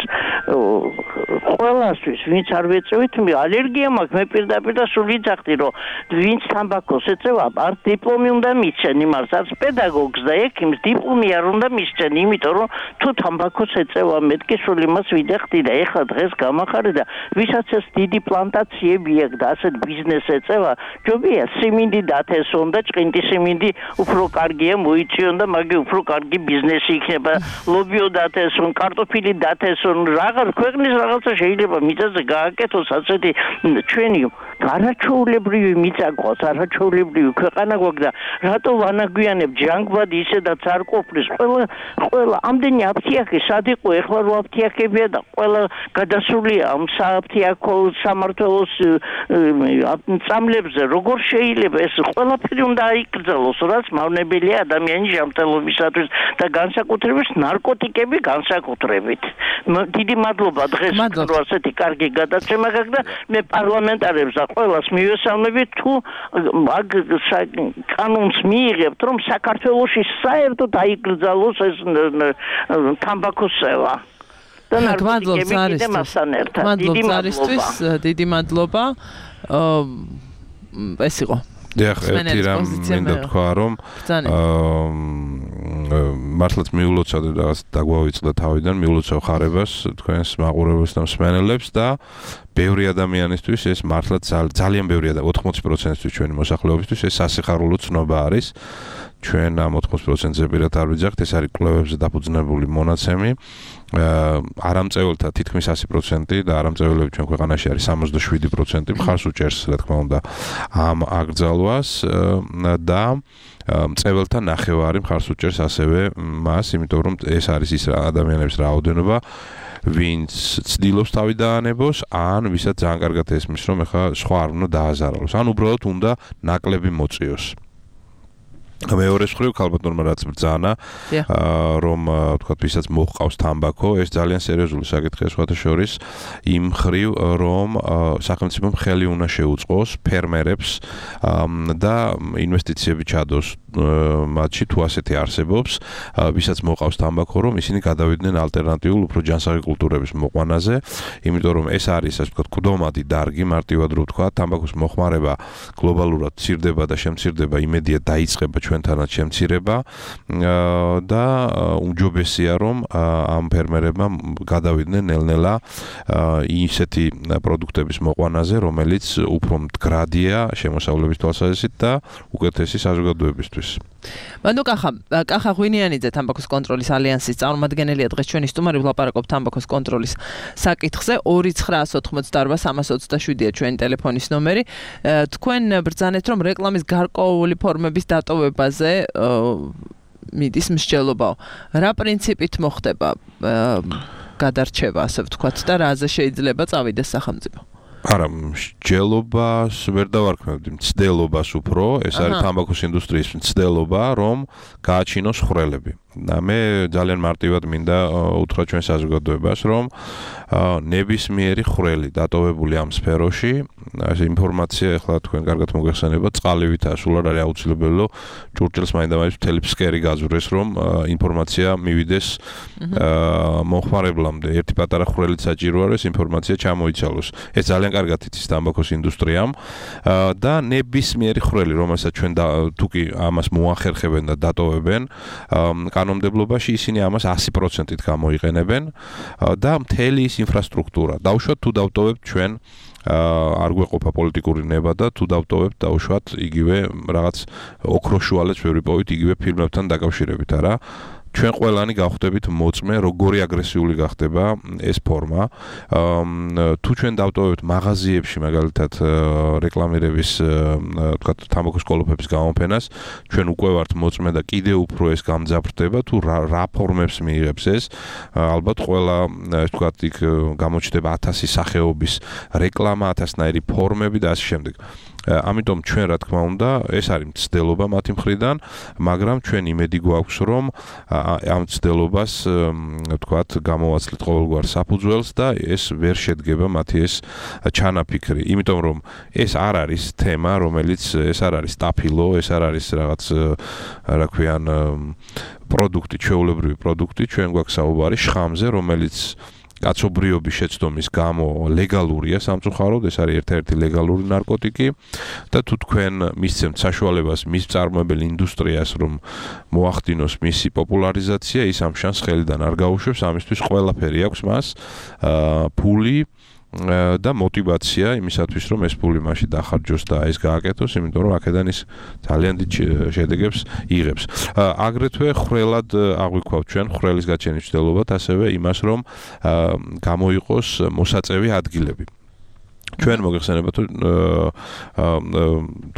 ყველასთვის, ვინც არ ვეწევით, ალერგია მაქვს, მე პირდაპირ და სულ ვიცახდი, რომ ვინც თამბაქოს ეწევა, არც დიპლომი უნდა მისცენ, იმას არც პედაგოგს და ექიმს დიპლომი არ უნდა მისცენ, იმიტომ რომ თუ თამბაქოს ეწევა, მეთქი სულ იმას ვიდახდი და ეხლა დღეს გამახარე და ვისაც ეს დიდი პლანტაციები აქვს და ასეთ ბიზნეს ეწევა, ჯობია სიმინდი დათესონ და ჭყინტი სიმინდი უფრო კარგია მოიწიონ და მაგი უფრო კარგი ბიზნესი იქნება. ლობი ლობიო დათესონ, კარტოფილი დათესონ, რაღაც ქვეყნის რაღაცა შეიძლება მიწაზე გააკეთოს ასეთი ჩვენი არაჩვეულებრივი მიწა გვაქვს, არაჩვეულებრივი ქვეყანა გვაქვს და რატო ვანაგვიანებ ჯანგბად ისედაც არ ყოფნის ყველა ამდენი აფთიაქი სად იყო ეხლა რო აფთიაქებია და ყველა გადასულია ამ სააფთიაქო სამართლოს წამლებზე როგორ შეიძლება ეს ყველაფერი უნდა აიკრძალოს რაც მავნებელია ადამიანის ჯანმრთელობისათვის და განსაკუთრებით ნარკოტიკები განსაკუთრებით დიდი მადლობა დღეს რო ასეთი კარგი გადაცემა გაქვს და მე პარლამენტარებს და ყველას მივესალმებით თუ მაგ კანონს მიიღებთ რომ საქართველოში საერთოდ აიკრძალოს ეს თამბაქოს სევა და ნარკოტიკები კიდე მასთან ერთად დიდი მადლობა ეს იყო დიახ, ერთი რამ მინდა თქვა რომ მართლაც მიულოცავ და დაგვავიწყდა თავიდან მიულოცავ ხარებას თქვენს მაყურებელს და მსმენელებს და ბევრი ადამიანისთვის ეს მართლაც ძალიან ბევრი და 80%-ისთვის ჩვენი მოსახლეობისთვის ეს სასიხარულო ცნობა არის ჩვენ ამ 80%-ზე პირად არ ვიძახთ ეს არის კვლევებზე დაფუძნებული მონაცემი არამწეველთა თითქმის 100% და არამწეველები ჩვენ ქვეყანაში არის 67% მხარს უჭერს რა თქმა უნდა ამ აკრძალვას და მწეველთა ნახევარი მხარს უჭერს ასევე მას იმიტომ რომ ეს არის ის ადამიანების რაოდენობა ვინც ცდილობს თავი დაანებოს ან ვისაც ძალიან კარგად ესმის რომ ეხლა სხვა არ უნდა დააზარალოს ან უბრალოდ უნდა ნაკლები მოწიოს მეორე მხრივ ალბათ ნორმა რაც ბრძანა რომ თქვა ვისაც მოჰყავს თამბაქო ეს ძალიან სერიოზული საკითხია სხვათა შორის იმ მხრივ რომ სახელმწიფომ ხელი უნდა შეუწყოს ფერმერებს და ინვესტიციები ჩადოს მათში თუ ასეთი არსებობს ვისაც მოყავს თამბაქო რომ ისინი გადავიდნენ ალტერნატიულ უფრო ჯანსაღი კულტურების მოყვანაზე იმიტომ რომ ეს არის ასე ვთქვათ კვდომადი დარგი მარტივად რო ვთქვა თამბაქოს მოხმარება გლობალურად მცირდება და შემცირდება იმედია დაიწყება ჩვენთანაც შემცირება და უმჯობესია რომ ამ ფერმერებმა გადავიდნენ ნელ-ნელა ისეთი პროდუქტების მოყვანაზე რომელიც უფრო მდგრადია შემოსავლების თვალსაზრისით და უკეთესი საზოგადოებისთვის მანდ კახა ღვინიანიძე თამბაქოს კონტროლის ალიანსის წარმომადგენელია დღეს ჩვენი სტუმარი ვლაპარაკობთ თამბაქოს კონტროლის საკითხზე 2988327-ია ჩვენი ტელეფონის ნომერი თქვენ ბრძანეთ რომ რეკლამის გარკვეული ფორმების დატოვებაზე მიდის მსჯელობაო რა პრინციპით მოხდება გადარჩევა ასე ვთქვათ და რაზე შეიძლება წავიდეს სახელმწიფო არა, მსჯელობას ვერ დავარქმევდი, მცდელობას უფრო, ეს არის თამბაქოს ინდუსტრიის მცდელობა, რომ გააჩინოს ხვრელები. და მე ძალიან მარტივად მინდა უთხრა ჩვენ საზოგადოებას, რომ ნებისმიერი ხვრელი დატოვებული ამ სფეროში, ეს ინფორმაცია ახლა თქვენ კარგად მოგეხსენებათ, წყალივითაა, სულ არ არის აუცილებელი, რომ ჭურჭელს მაინდა-მაინც მთელი ფსკერი გაძვრეს, რომ ინფორმაცია მივიდეს მომხმარებლამდე. ერთი პატარა ხვრელით საჭირო არის ინფორმაცია ჩამოიცალოს. ეს ძალიან კარგად იცის თამბაქოს ინდუსტრიამ და ნებისმიერი ხვრელი, რომელსაც ჩვენ თუ კი ამას მოახერხებენ და დატოვებენ, კანონმდებლობაში ისინი ამას 100%-ით გამოიყენებენ და მთელი ის ინფრასტრუქტურა. დავუშვათ თუ დავტოვებთ ჩვენ არ გვეყოფა პოლიტიკური ნება და თუ დავტოვებთ დავუშვათ იგივე რაღაც ოქროშუალებს ვერ ვიპოვით იგივე ფილმებთან დაკავშირებით, არა? ჩვენ ყველანი გავხდებით მოწმე, როგორი აგრესიული გახდება ეს ფორმა. თუ ჩვენ დავტოვებთ მაღაზიებში მაგალითად რეკლამირების თქვათ თამბაქოს კოლოფების გამოფენას, ჩვენ უკვე ვართ მოწმე და კიდევ უფრო ეს გამძაფრდება, თუ რა ფორმებს მიიღებს ეს. ალბათ ყველა ეს თქვათ იქ გამოჩნდება 1000 სახეობის რეკლამა, 1000-ნაირი ფორმები და ასე შემდეგ. ამიტომ ჩვენ რა თქმა უნდა ეს არის მცდელობა მათი მხრიდან, მაგრამ ჩვენ იმედი გვაქვს რომ ამ მცდელობას თქვათ გამოვაცლით ყოველგვარ საფუძველს და ეს ვერ შედგება მათი ეს ჩანაფიქრი, იმიტომ რომ ეს არ არის თემა, რომელიც ეს არ არის სტაფილო, ეს არ არის რაღაც რა ქვიან პროდუქტი, ჩვეულებრივი პროდუქტი, ჩვენ გვაქვს საუბარი შხამზე, რომელიც კაცობრიობის შეცდომის გამო ლეგალურია სამწუხაროდ, ეს არის ერთ-ერთი ლეგალური ნარკოტიკი და თუ თქვენ მისცემთ საშუალებას მის წარმოებელ ინდუსტრიას რომ მოახდინოს მისი პოპულარიზაცია, ის ამ შანსს ხელიდან არ გაუშვებს, ამისთვის ყველაფერი აქვს მას, ფული და мотивация იმისათვის რომ ეს ფული მასში დახარჯოს და ეს გააკეთოს, იმიტომ რომ აქედან ის ძალიან დიდ შედეგებს იღებს. აგრეთვე ხრელად აღვიქვავთ ჩვენ ხრელის გაჩენის მცდელობად, ასევე იმას რომ გამოიყოს მოსაწევი ადგილები. ჩვენ მოგეხსენებათ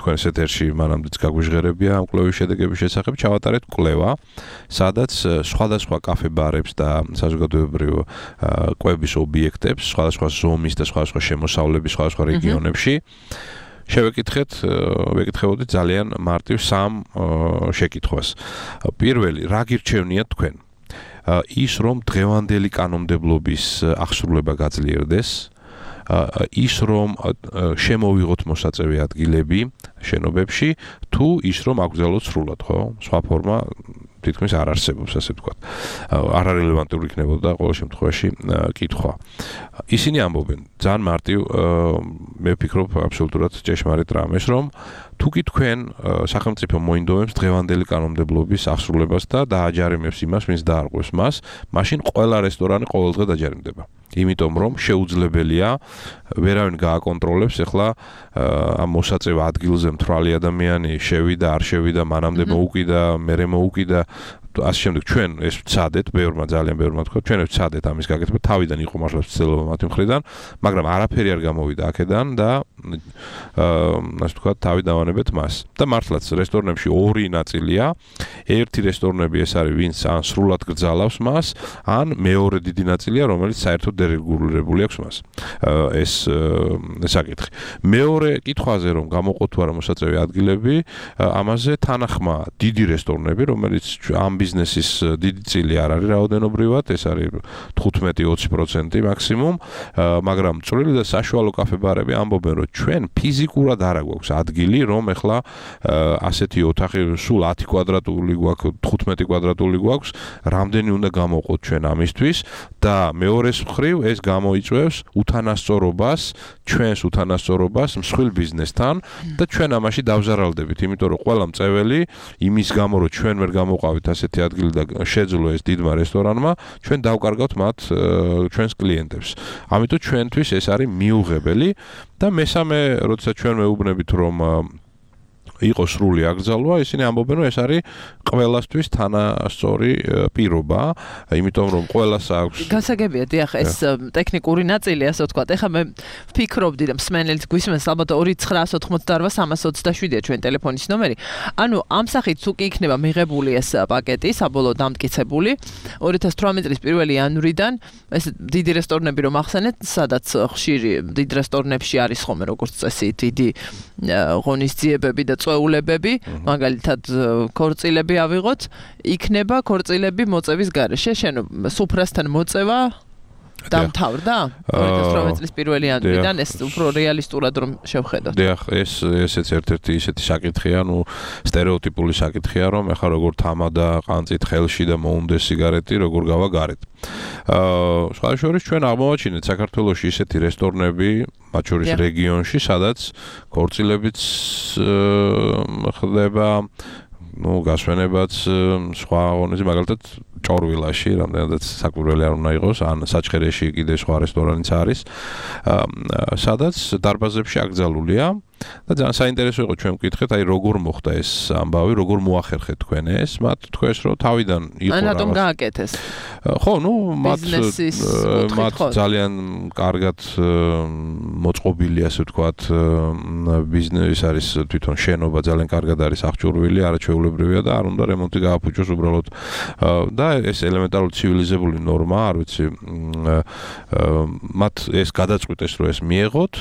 თქვენ ეთერში მანამდეც გაგვიჟღერებია ამ კვლევის შედეგების შესახებ, ჩავატარეთ კვლევა, სადაც სხვადასხვა კაფე-ბარებს და საზოგადოებრივ კვების ობიექტებს, სხვადასხვა ზომის და სხვადასხვა შემოსავლების სხვადასხვა რეგიონებში ვეკითხებოდით ძალიან მარტივ სამ შეკითხვას. პირველი, რა გირჩევნიათ თქვენ? ის რომ დღევანდელი კანონმდებლობის აღსრულება გაძლიერდეს, ის რომ შემოვიღოთ მოსაწევი ადგილები შენობებში, თუ ის რომ აკრძალოთ სრულად, ხო? სხვა ფორმა თითქმის არ არსებობს, ასე ვთქვათ. არარელევანტური იქნებოდა ყოველ შემთხვევაში კითხვა. ისინი ამბობენ, ძალიან მარტივ, მე ვფიქრობ აბსოლუტურად ჭეშმარიტ რამეს, რომ თუკი თქვენ სახელმწიფო მოინდომებს დღევანდელი კანონმდებლობის აღსრულებას და დააჯარიმებს იმას, ვინც დაარღვევს მას, მაშინ ყველა რესტორანი ყოველდღე დაჯარიმდება. იმიტომ რომ შეუძლებელია ვერავინ გააკონტროლებს ახლა ამ მოსაწევ ადგილზე მთვრალი ადამიანი შევიდა, არ შევიდა, მანამდე მოუკიდა, მერე მოუკიდა, ასე შემდეგ ჩვენ ეს ვცადეთ, ძალიან ბევრმა თქვა, ჩვენ ეს ვცადეთ ამის გაკეთება, თავიდან იყო მართლა ცდილობა მათი მხრიდან, მაგრამ არაფერი არ გამოვიდა აქედან და ასე ვთქვათ, თავი დავანებეთ მას. და მართლაც რესტორნებში ორი ნაწილია, ერთი რესტორნები ეს არის, ვინც ან სრულად გრძალავს მას, ან მეორე დიდი ნაწილია, რომელიც საერთოდ დერეგულირებული აქვს მას. ეს საკითხი. მეორე კითხვაზე რომ გამოყოთ თუ არა მოსაწევი ადგილები, ამაზე თანახმა დიდი რესტორნები, რომელიც ამ ბიზნესის დიდი წილი არ არის რაოდენობრივად, ეს არის 15-20% მაქსიმუმ, მაგრამ წვრილი და საშუალო კაფე-ბარები ამბობენ, რომ ჩვენ ფიზიკურად არ გვაქვს ადგილი, რომ ეხლა ასეთი ოთახი სულ 10 კვადრატული გვაქვს, 15 კვადრატული გვაქვს, რამდენი უნდა გამოვყოთ ჩვენ ამისთვის და მეორეს მხრივ ეს გამოიწვევს უთანასწორობას, ჩვენს უთანასწორობას მსხვილ ბიზნესთან და ჩვენ ამაში დავზარალდებით, იმიტომ რომ ყველა მწეველი იმის გამო, რომ ჩვენ ვერ გამოვყავით ასეთი ადგილი და შეძლო ეს დიდმა რესტორანმა, ჩვენ დავკარგავთ მათ ჩვენს კლიენტებს. ამიტომ ჩვენთვის ეს არის მიუღებელი და მესამე, როდესაც ჩვენ მეუბნებით რომ იყო სრული აკრძალვა, ისინი ამბობენ, რომ ეს არის ყველასთვის თანასწორი პირობა, იმიტომ რომ ყველას აქვს. გასაგებია, დიახ, ეს ტექნიკური ნაწილი, ასე ვთქვათ. ეხლა მე ვფიქრობდი, რომ მსმენელიც გვისმენს, ალბათ 2988-327-ია ჩვენ ტელეფონის ნომერი. ანუ ამ სახით თუ კი იქნება მიღებული ეს პაკეტი, საბოლოოდ დამტკიცებული, 2018 წლის 1 იანვრიდან ეს დიდი რესტორნები რომ ახსენეთ, სადაც ხშირი დიდ რესტორნებში არის ხოლმე როგორც წესი დიდი ღონისძიებები და წვეულებები, მაგალითად ქორწილები ავიღოთ, იქნება ქორწილები მოწევის გარეშე, სუფრასთან მოწევა დამთავრდა 2018 წლის 1 იანვრიდან, ეს უფრო რეალისტურად რომ შევხედოთ. დიახ, ესეც ერთ-ერთი ისეთი საკითხია, სტერეოტიპული საკითხია, რომ ეხლა როგორ თამადა ყანწით ხელში და მოუნდეს სიგარეტი, როგორ გავა გარეთ. სხვა შორის ჩვენ აღმოვაჩინეთ საქართველოში ისეთი რესტორნები, მათ შორის რეგიონში, სადაც ქორწილებიც ხდება, გასვენებაც სხვა ღონისძიებები, მაგალითად ჭორვილაში, რამდენადაც საკვირველი არ უნდა იყოს, ან საჩხერეში კიდე სხვა რესტორანიც არის, სადაც დარბაზებში აკრძალულია და ძალიან საინტერესო იყო ჩვენ ვკითხეთ, აი როგორ მოხდა ეს ამბავი, როგორ მოახერხეთ თქვენ ეს, მათ თქვეს რომ თავიდან იყო რა. რატომ გააკეთეს? ხო, მათ ძალიან კარგად მოწყობილი, ასე ვთქვათ, ბიზნესი არის, თვითონ შენობა ძალიან კარგად არის აღჭურვილი, არაჩვეულებრივია და არ უნდა რემონტი გააფუჭოს უბრალოდ და ეს ელემენტარული ცივილიზებული ნორმა, არ ვიცი, მათ ეს გადაწყვიტეს, რომ ეს მიეღოთ,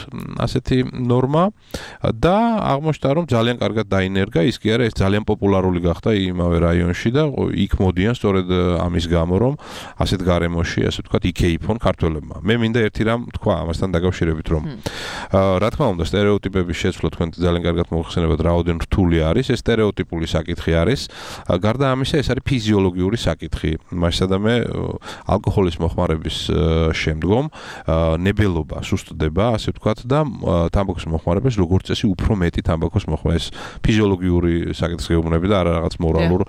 ასეთი ნორმა და აღმოჩნდა, რომ ძალიან კარგად დაინერგა, ის კი არა, ეს ძალიან პოპულარული გახდა იმავე რაიონში და იქ მოდიან სწორედ ამის გამო, რომ ასეთ გარემოში, ასე ვთქვათ, იქეიფონ ქართველებმა. მე მინდა ერთი რამ თქვა ამასთან დაკავშირებით, რომ რა თქმა უნდა, სტერეოტიპების შეცვლა თქვენ ძალიან კარგად მოიხსენებათ, რაოდენ რთული არის, ეს სტერეოტიპული საკითხი არის. გარდა ამისა, ეს არის ფიზიოლოგიური საკითხი. მასადამე ალკოჰოლის მოხმარების შემდგომ ნებელობა სუსტდება, ასე ვთქვათ, და თამბაქოს მოხმარებას როგორ როგორც წესი უფრო მეტი თამბაქოს მოხმარება. ეს ფიზიოლოგიური საკითხს გეუბნები და არა რაღაც მორალურ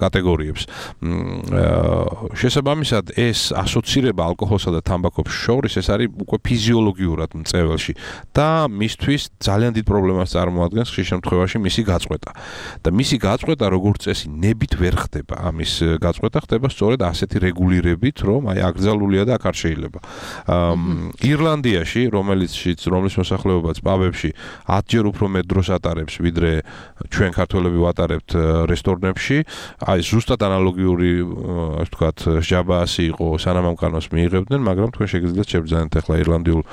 კატეგორიებს. შესაბამისად ეს ასოცირება ალკოჰოლსა და თამბაქოს შორის ეს არის უკვე ფიზიოლოგიურად მწებელში და მისთვის ძალიან დიდ პრობლემას წარმოადგენს ხშირ შემთხვევაში მისი გაწყვეტა. და მისი გაწყვეტა როგორც წესი ნებით ვერ ხდება. ამის გაწყვეტა ხდება სწორედ ასეთი რეგულირებით, რომ აი აკრძალულია და აქ არ შეიძლება. ირლანდიაში, რომლის მოსახლეობაც პაბებში 10 ჯერ უფრო მეტ დროს ატარებს, ვიდრე ჩვენ ქართველები ვატარებთ რესტორნებში, აი ზუსტად ანალოგიური, ასე ვთქვათ, ჟაბაასი იყო, სანამ ამ კანონს მიიღებდნენ, მაგრამ თქვენ შეგიძლიათ შევბრძანეთ ახლა ირლანდიულ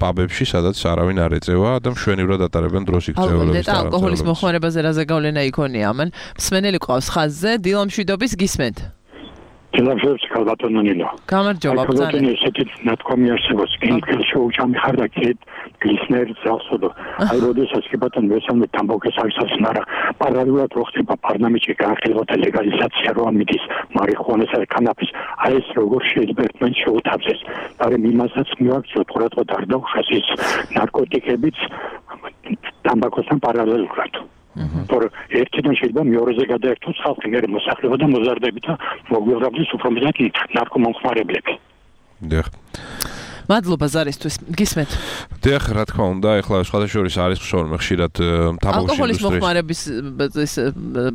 პაბებში, სადაც არავინ არ ეწევა და მშვენივრად ატარებენ დროს იქ წეველების და ალკოჰოლის მოხმარებაზე რაზე გავლენა იქონია ამან. მსმენელი ყავს ხაზზე, დილამშვიდობის გისმენთ. დილამშვიდობის ქალბატონონილა. გამარჯობა, ბრძანე. ესეთი ნათქვამი არსებობს, კინგელ შოუჩამი ხარ და კეთ გლისნერ ზალსოდო. აი როდესაც კი ბატონო მესამე თამბაქოს აღსას მარა პარალელურად რო ხდება პარლამენტში განხილვათა ლეგალიზაცია რო ამიტის მარიხუანისა და კანაფის. აი ეს როგორ შეიძლება ერთმან შეუთავსეს. მაგრამ იმასაც მივაქციოთ ყურადღება არ დაუშვას ის ნარკოტიკებიც თამბაქოსთან პარალელურად. თორე ერთიდან შეიძლება მეორეზე გადაერთოს ხალხი მე მოსახლეობა და მოზარდები და მოგვიყვებდეს უფრო მეტად ნარკომანხმარებლები. დიახ. მადლობა ზარისთვის. გისმენთ. დიახ, რა თქმა უნდა, ეხლა სხვადასხვა არის ხშირად თამბაქოს ალკოჰოლის მოხმარების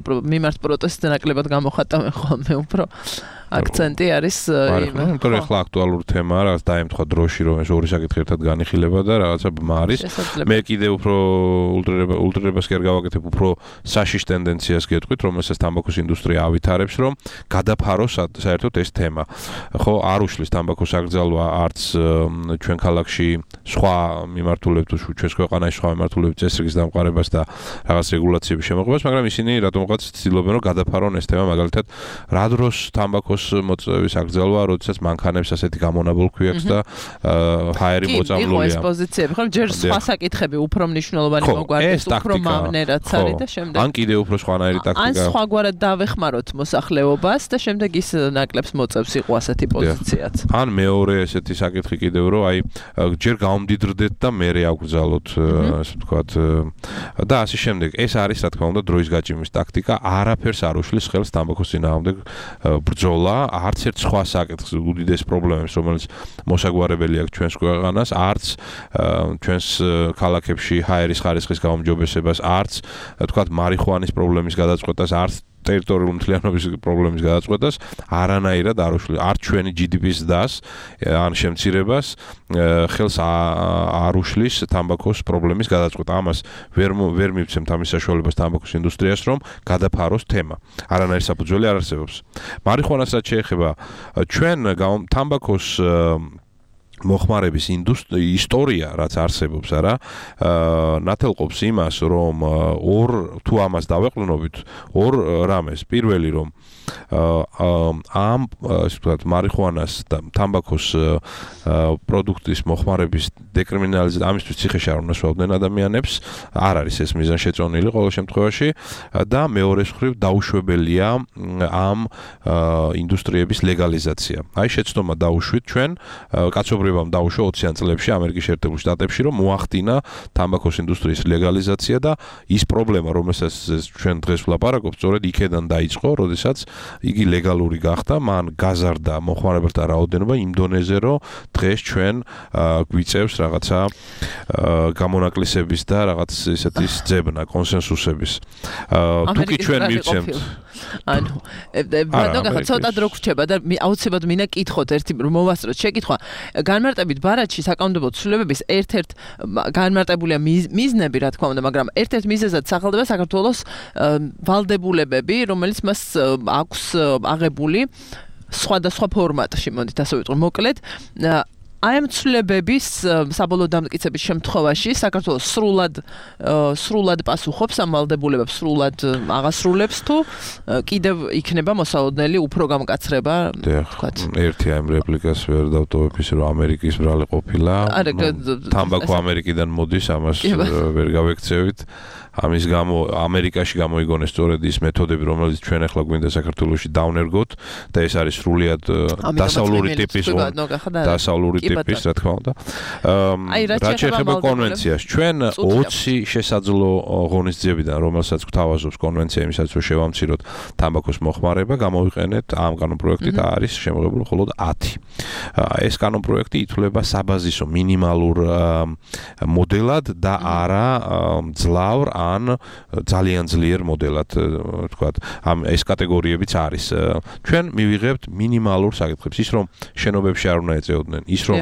მიმართ პროტესტზე ნაკლებად გამოხატავენ ხოლმე უფრო აქცენტი არის იმ. თორე ახლა აქტუალური თემაა, რაღაც დაემთხვა დროში, რომ ეს ორი საკითხი ერთად განიხილება და რაღაცა ბმა არის. მე კიდე უფრო ულტრირებას კი არ გავაკეთებ, უფრო საშიშ ტენდენციას გეტყვით, რომელსაც თამბაქოს ინდუსტრია ავითარებს, რომ გადაფაროს საერთოდ ეს თემა. ხო, არ უშლის თამბაქოს აკრძალვა არც ჩვენ ქალაქში სხვა მიმართულებით, ჩვენს ქვეყანაში სხვა მიმართულებით წესრიგის დამყარებას და რაღაც რეგულაციების შემოღებას, მაგრამ ისინი რატომღაც ცდილობენ, რომ გადაფარონ ეს თემა, მაგალითად, რა დროს თამბაქოს მოწვევის აკრძალვა, როდესაც მანქანებს ასეთი გამონაბოლქვი აქვს და ჰაერი მოწამლულია. იყო ეს პოზიციები, ხო, ჯერ სხვა საკითხები უფრო მნიშვნელოვანი მოგვარდეს, უფრო მავნერაც არის და შემდეგ. ან კიდე უფრო სხვანაირი ტაქტიკა. ან სხვაგვარად დავეხმაროთ მოსახლეობას და შემდეგ ის ნაკლებს მოწევს იყო ასეთი პოზიციაც. ან მეორე ესეთი საკითხი კიდევ რომ აი ჯერ გამომდიდრდეთ და მერე აკრძალოთ, ასე ვთქვათ, და ასე შემდეგ. ეს არის რა თქმა უნდა დროის გაჭიმის ტაქტიკა, არაფერს არ უშლის ხელს თამბაქოს წინააღმდეგ ბრძოლა. არც ერთ სხვა საკითხს უდიდეს პრობლემებს, რომელიც მოსაგვარებელი აქვს ჩვენს ქვეყანას, არც ჩვენს ქალაქებში ჰაერის ხარისხის გაუმჯობესებას, არც თქვათ მარიხუანის პრობლემის გადაწყვეტას, არც ტერიტორიული მთლიანობის პრობლემის გადაწყვეტას არანაირად არ უშლის. არ ჩვენი GDP-ს დას ან შემცირებას ხელს არ უშლის თამბაქოს პრობლემის გადაწყვეტა. ამას ვერ მივცემთ ამის საშუალებას თამბაქოს ინდუსტრიას, რომ გადაფაროს თემა. არანაირი საფუძველი არ არსებობს. მარიხუანასაც შეეხება ჩვენ თამბაქოს მოხმარების ისტორია, რაც არსებობს, არა, ნათელყოფს იმას, რომ თუ ამას დავეყრდნობით, ორ რამეს. პირველი, რომ ამ, ასე ვთქვათ, მარიხუანას და თამბაქოს პროდუქტის მოხმარების დეკრიმინალიზაცია, ამისთვის ციხეში არ უნდა სვავდნენ ადამიანებს, არ არის ეს მიზანშეწონილი ყოველ შემთხვევაში და მეორე მხრივ დაუშვებელია ამ ინდუსტრიების ლეგალიზაცია. აი შეცდომა დაუშვით ჩვენ კაცობრიობამ დაუშვა 20-იან წლებში ამერიკის შეერთებულ შტატებში, რომ მოახდინა თამბაქოს ინდუსტრიის ლეგალიზაცია და ის პრობლემა, რომელსაც ჩვენ დღეს ვლაპარაკობთ, სწორედ იქედან დაიწყო, როდესაც იგი ლეგალური გახდა, მან გაზარდა მოხმარებელთა რაოდენობა იმ დონეზე, რომ დღეს ჩვენ გვიწევს რაღაცა გამონაკლისების და რაღაც ესეთი ძებნა, კონსენსუსების. თუ კი ჩვენ მივცემთ ანუ ბატონო, ცოტა დრო გრჩება და აუცილებლად მინდა კითხოთ ერთი მოვასწროთ შეკითხვა. განმარტებით ბარათში საკანონმდებლო ცვლილებების ერთ-ერთ განმარტებულია მიზნები, რა თქმა უნდა, მაგრამ ერთ-ერთ მიზეზად სახელდება საქართველოს ვალდებულებები, რომელიც მას აქვს აღებული სხვადასხვა ფორმატში, მოდით ასე ვიტყვი, მოკლედ აი ამ ცვლილებების საბოლოო დამტკიცების შემთხვევაში საქართველოს სრულად პასუხობს ამ ვალდებულებებს, სრულად აღასრულებს თუ კიდევ იქნება მოსალოდნელი უფრო გამკაცრება, ვთქვათ. ერთი ამ რეპლიკას ვერ დავტოვებ ისე რომ ამერიკის ბრალი ყოფილა. თამბაქო ამერიკიდან მოდის, ამას ვერ გავექცევით. ამის გამო ამერიკაში გამოიგონეს სწორედ ის მეთოდები, რომელიც ჩვენ ახლა გვინდა საქართველოში დავნერგოთ და ეს არის სრულიად დასავლური ტიპის ტიპის, რა თქმა უნდა. რაც შეეხება კონვენციას, ჩვენ 20 შესაძლო ღონისძიებიდან, რომელსაც გვთავაზობს კონვენცია იმისაც, რომ შევამციროთ თამბაქოს მოხმარება, გამოვიყენეთ ამ კანონპროექტით არის შემოღებული მხოლოდ 10. ეს კანონპროექტი ითვლება საბაზისო მინიმალურ მოდელად და არა ძლავრ ან ძალიან ძლიერ მოდელად, თქვათ, ეს კატეგორიებიც არის. ჩვენ მივიღებთ მინიმალურ საკითხებს, ის რომ შენობებში არ უნდა ეწეოდნენ, ის რომ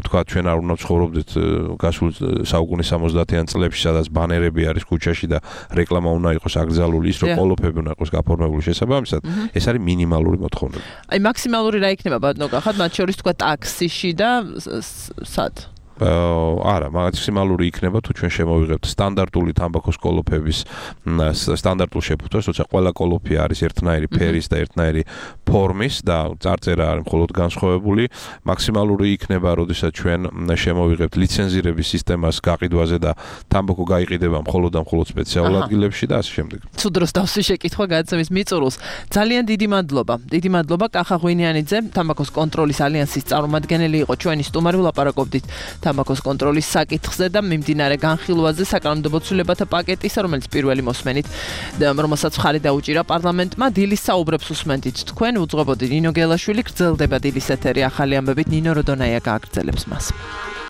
თქვათ, ჩვენ არ უნდა ცხოვრობდეთ გასულ საუკუნის 70-იან წლებში, სადაც ბანერები არის ქუჩაში და რეკლამა უნდა იყოს აკრძალული, ის რომ ყოლოფები უნდა იყოს გაფორმებული შესაბამისად, ეს არის მინიმალური მოთხოვნება. აი მაქსიმალური რა იქნება ბატონო კახად, მათ შორის თქვა ტაქსიში და სად? არა, მაქსიმალური იქნება თუ ჩვენ შემოვიღებთ სტანდარტული თამბაქოს კოლოფების სტანდარტულ შეფუთვას, როცა ყველა კოლოფი არის ერთნაირი ფერის და ერთნაირი ფორმის და წარწერა არის მხოლოდ განსხვავებული, მაქსიმალური იქნება, როდესაც ჩვენ შემოვიღებთ ლიცენზირების სისტემას გაყიდვაზე და თამბაქო გაიყიდება მხოლოდ და მხოლოდ სპეციალურ ადგილებში და ასე შემდეგ. თუ დროს დავსვი შეკითხვა გადაცემის მიწურულს. ძალიან დიდი მადლობა. დიდი მადლობა კახა ღვინიანიძე, თამბაქოს კონტროლის ალიანსის წარმომადგენელი იყო ჩვენი სტუმარი, ვლაპარაკობდით თამბაქოს კონტროლის საკითხზე და მიმდინარე განხილვაზე საკანონმდებლო ცვლილებათა პაკეტის, რომელიც პირველი მოსმენით, რომელსაც მხარი დაუჭირა პარლამენტმა, დილის საუბრებს უსმენთ თქვენ, უძღვებოდი ნინო გელაშვილი, გრძელდება დილის ეთერი ახალი ამბებით, ნინო როდონაია გააგრძელებს მას.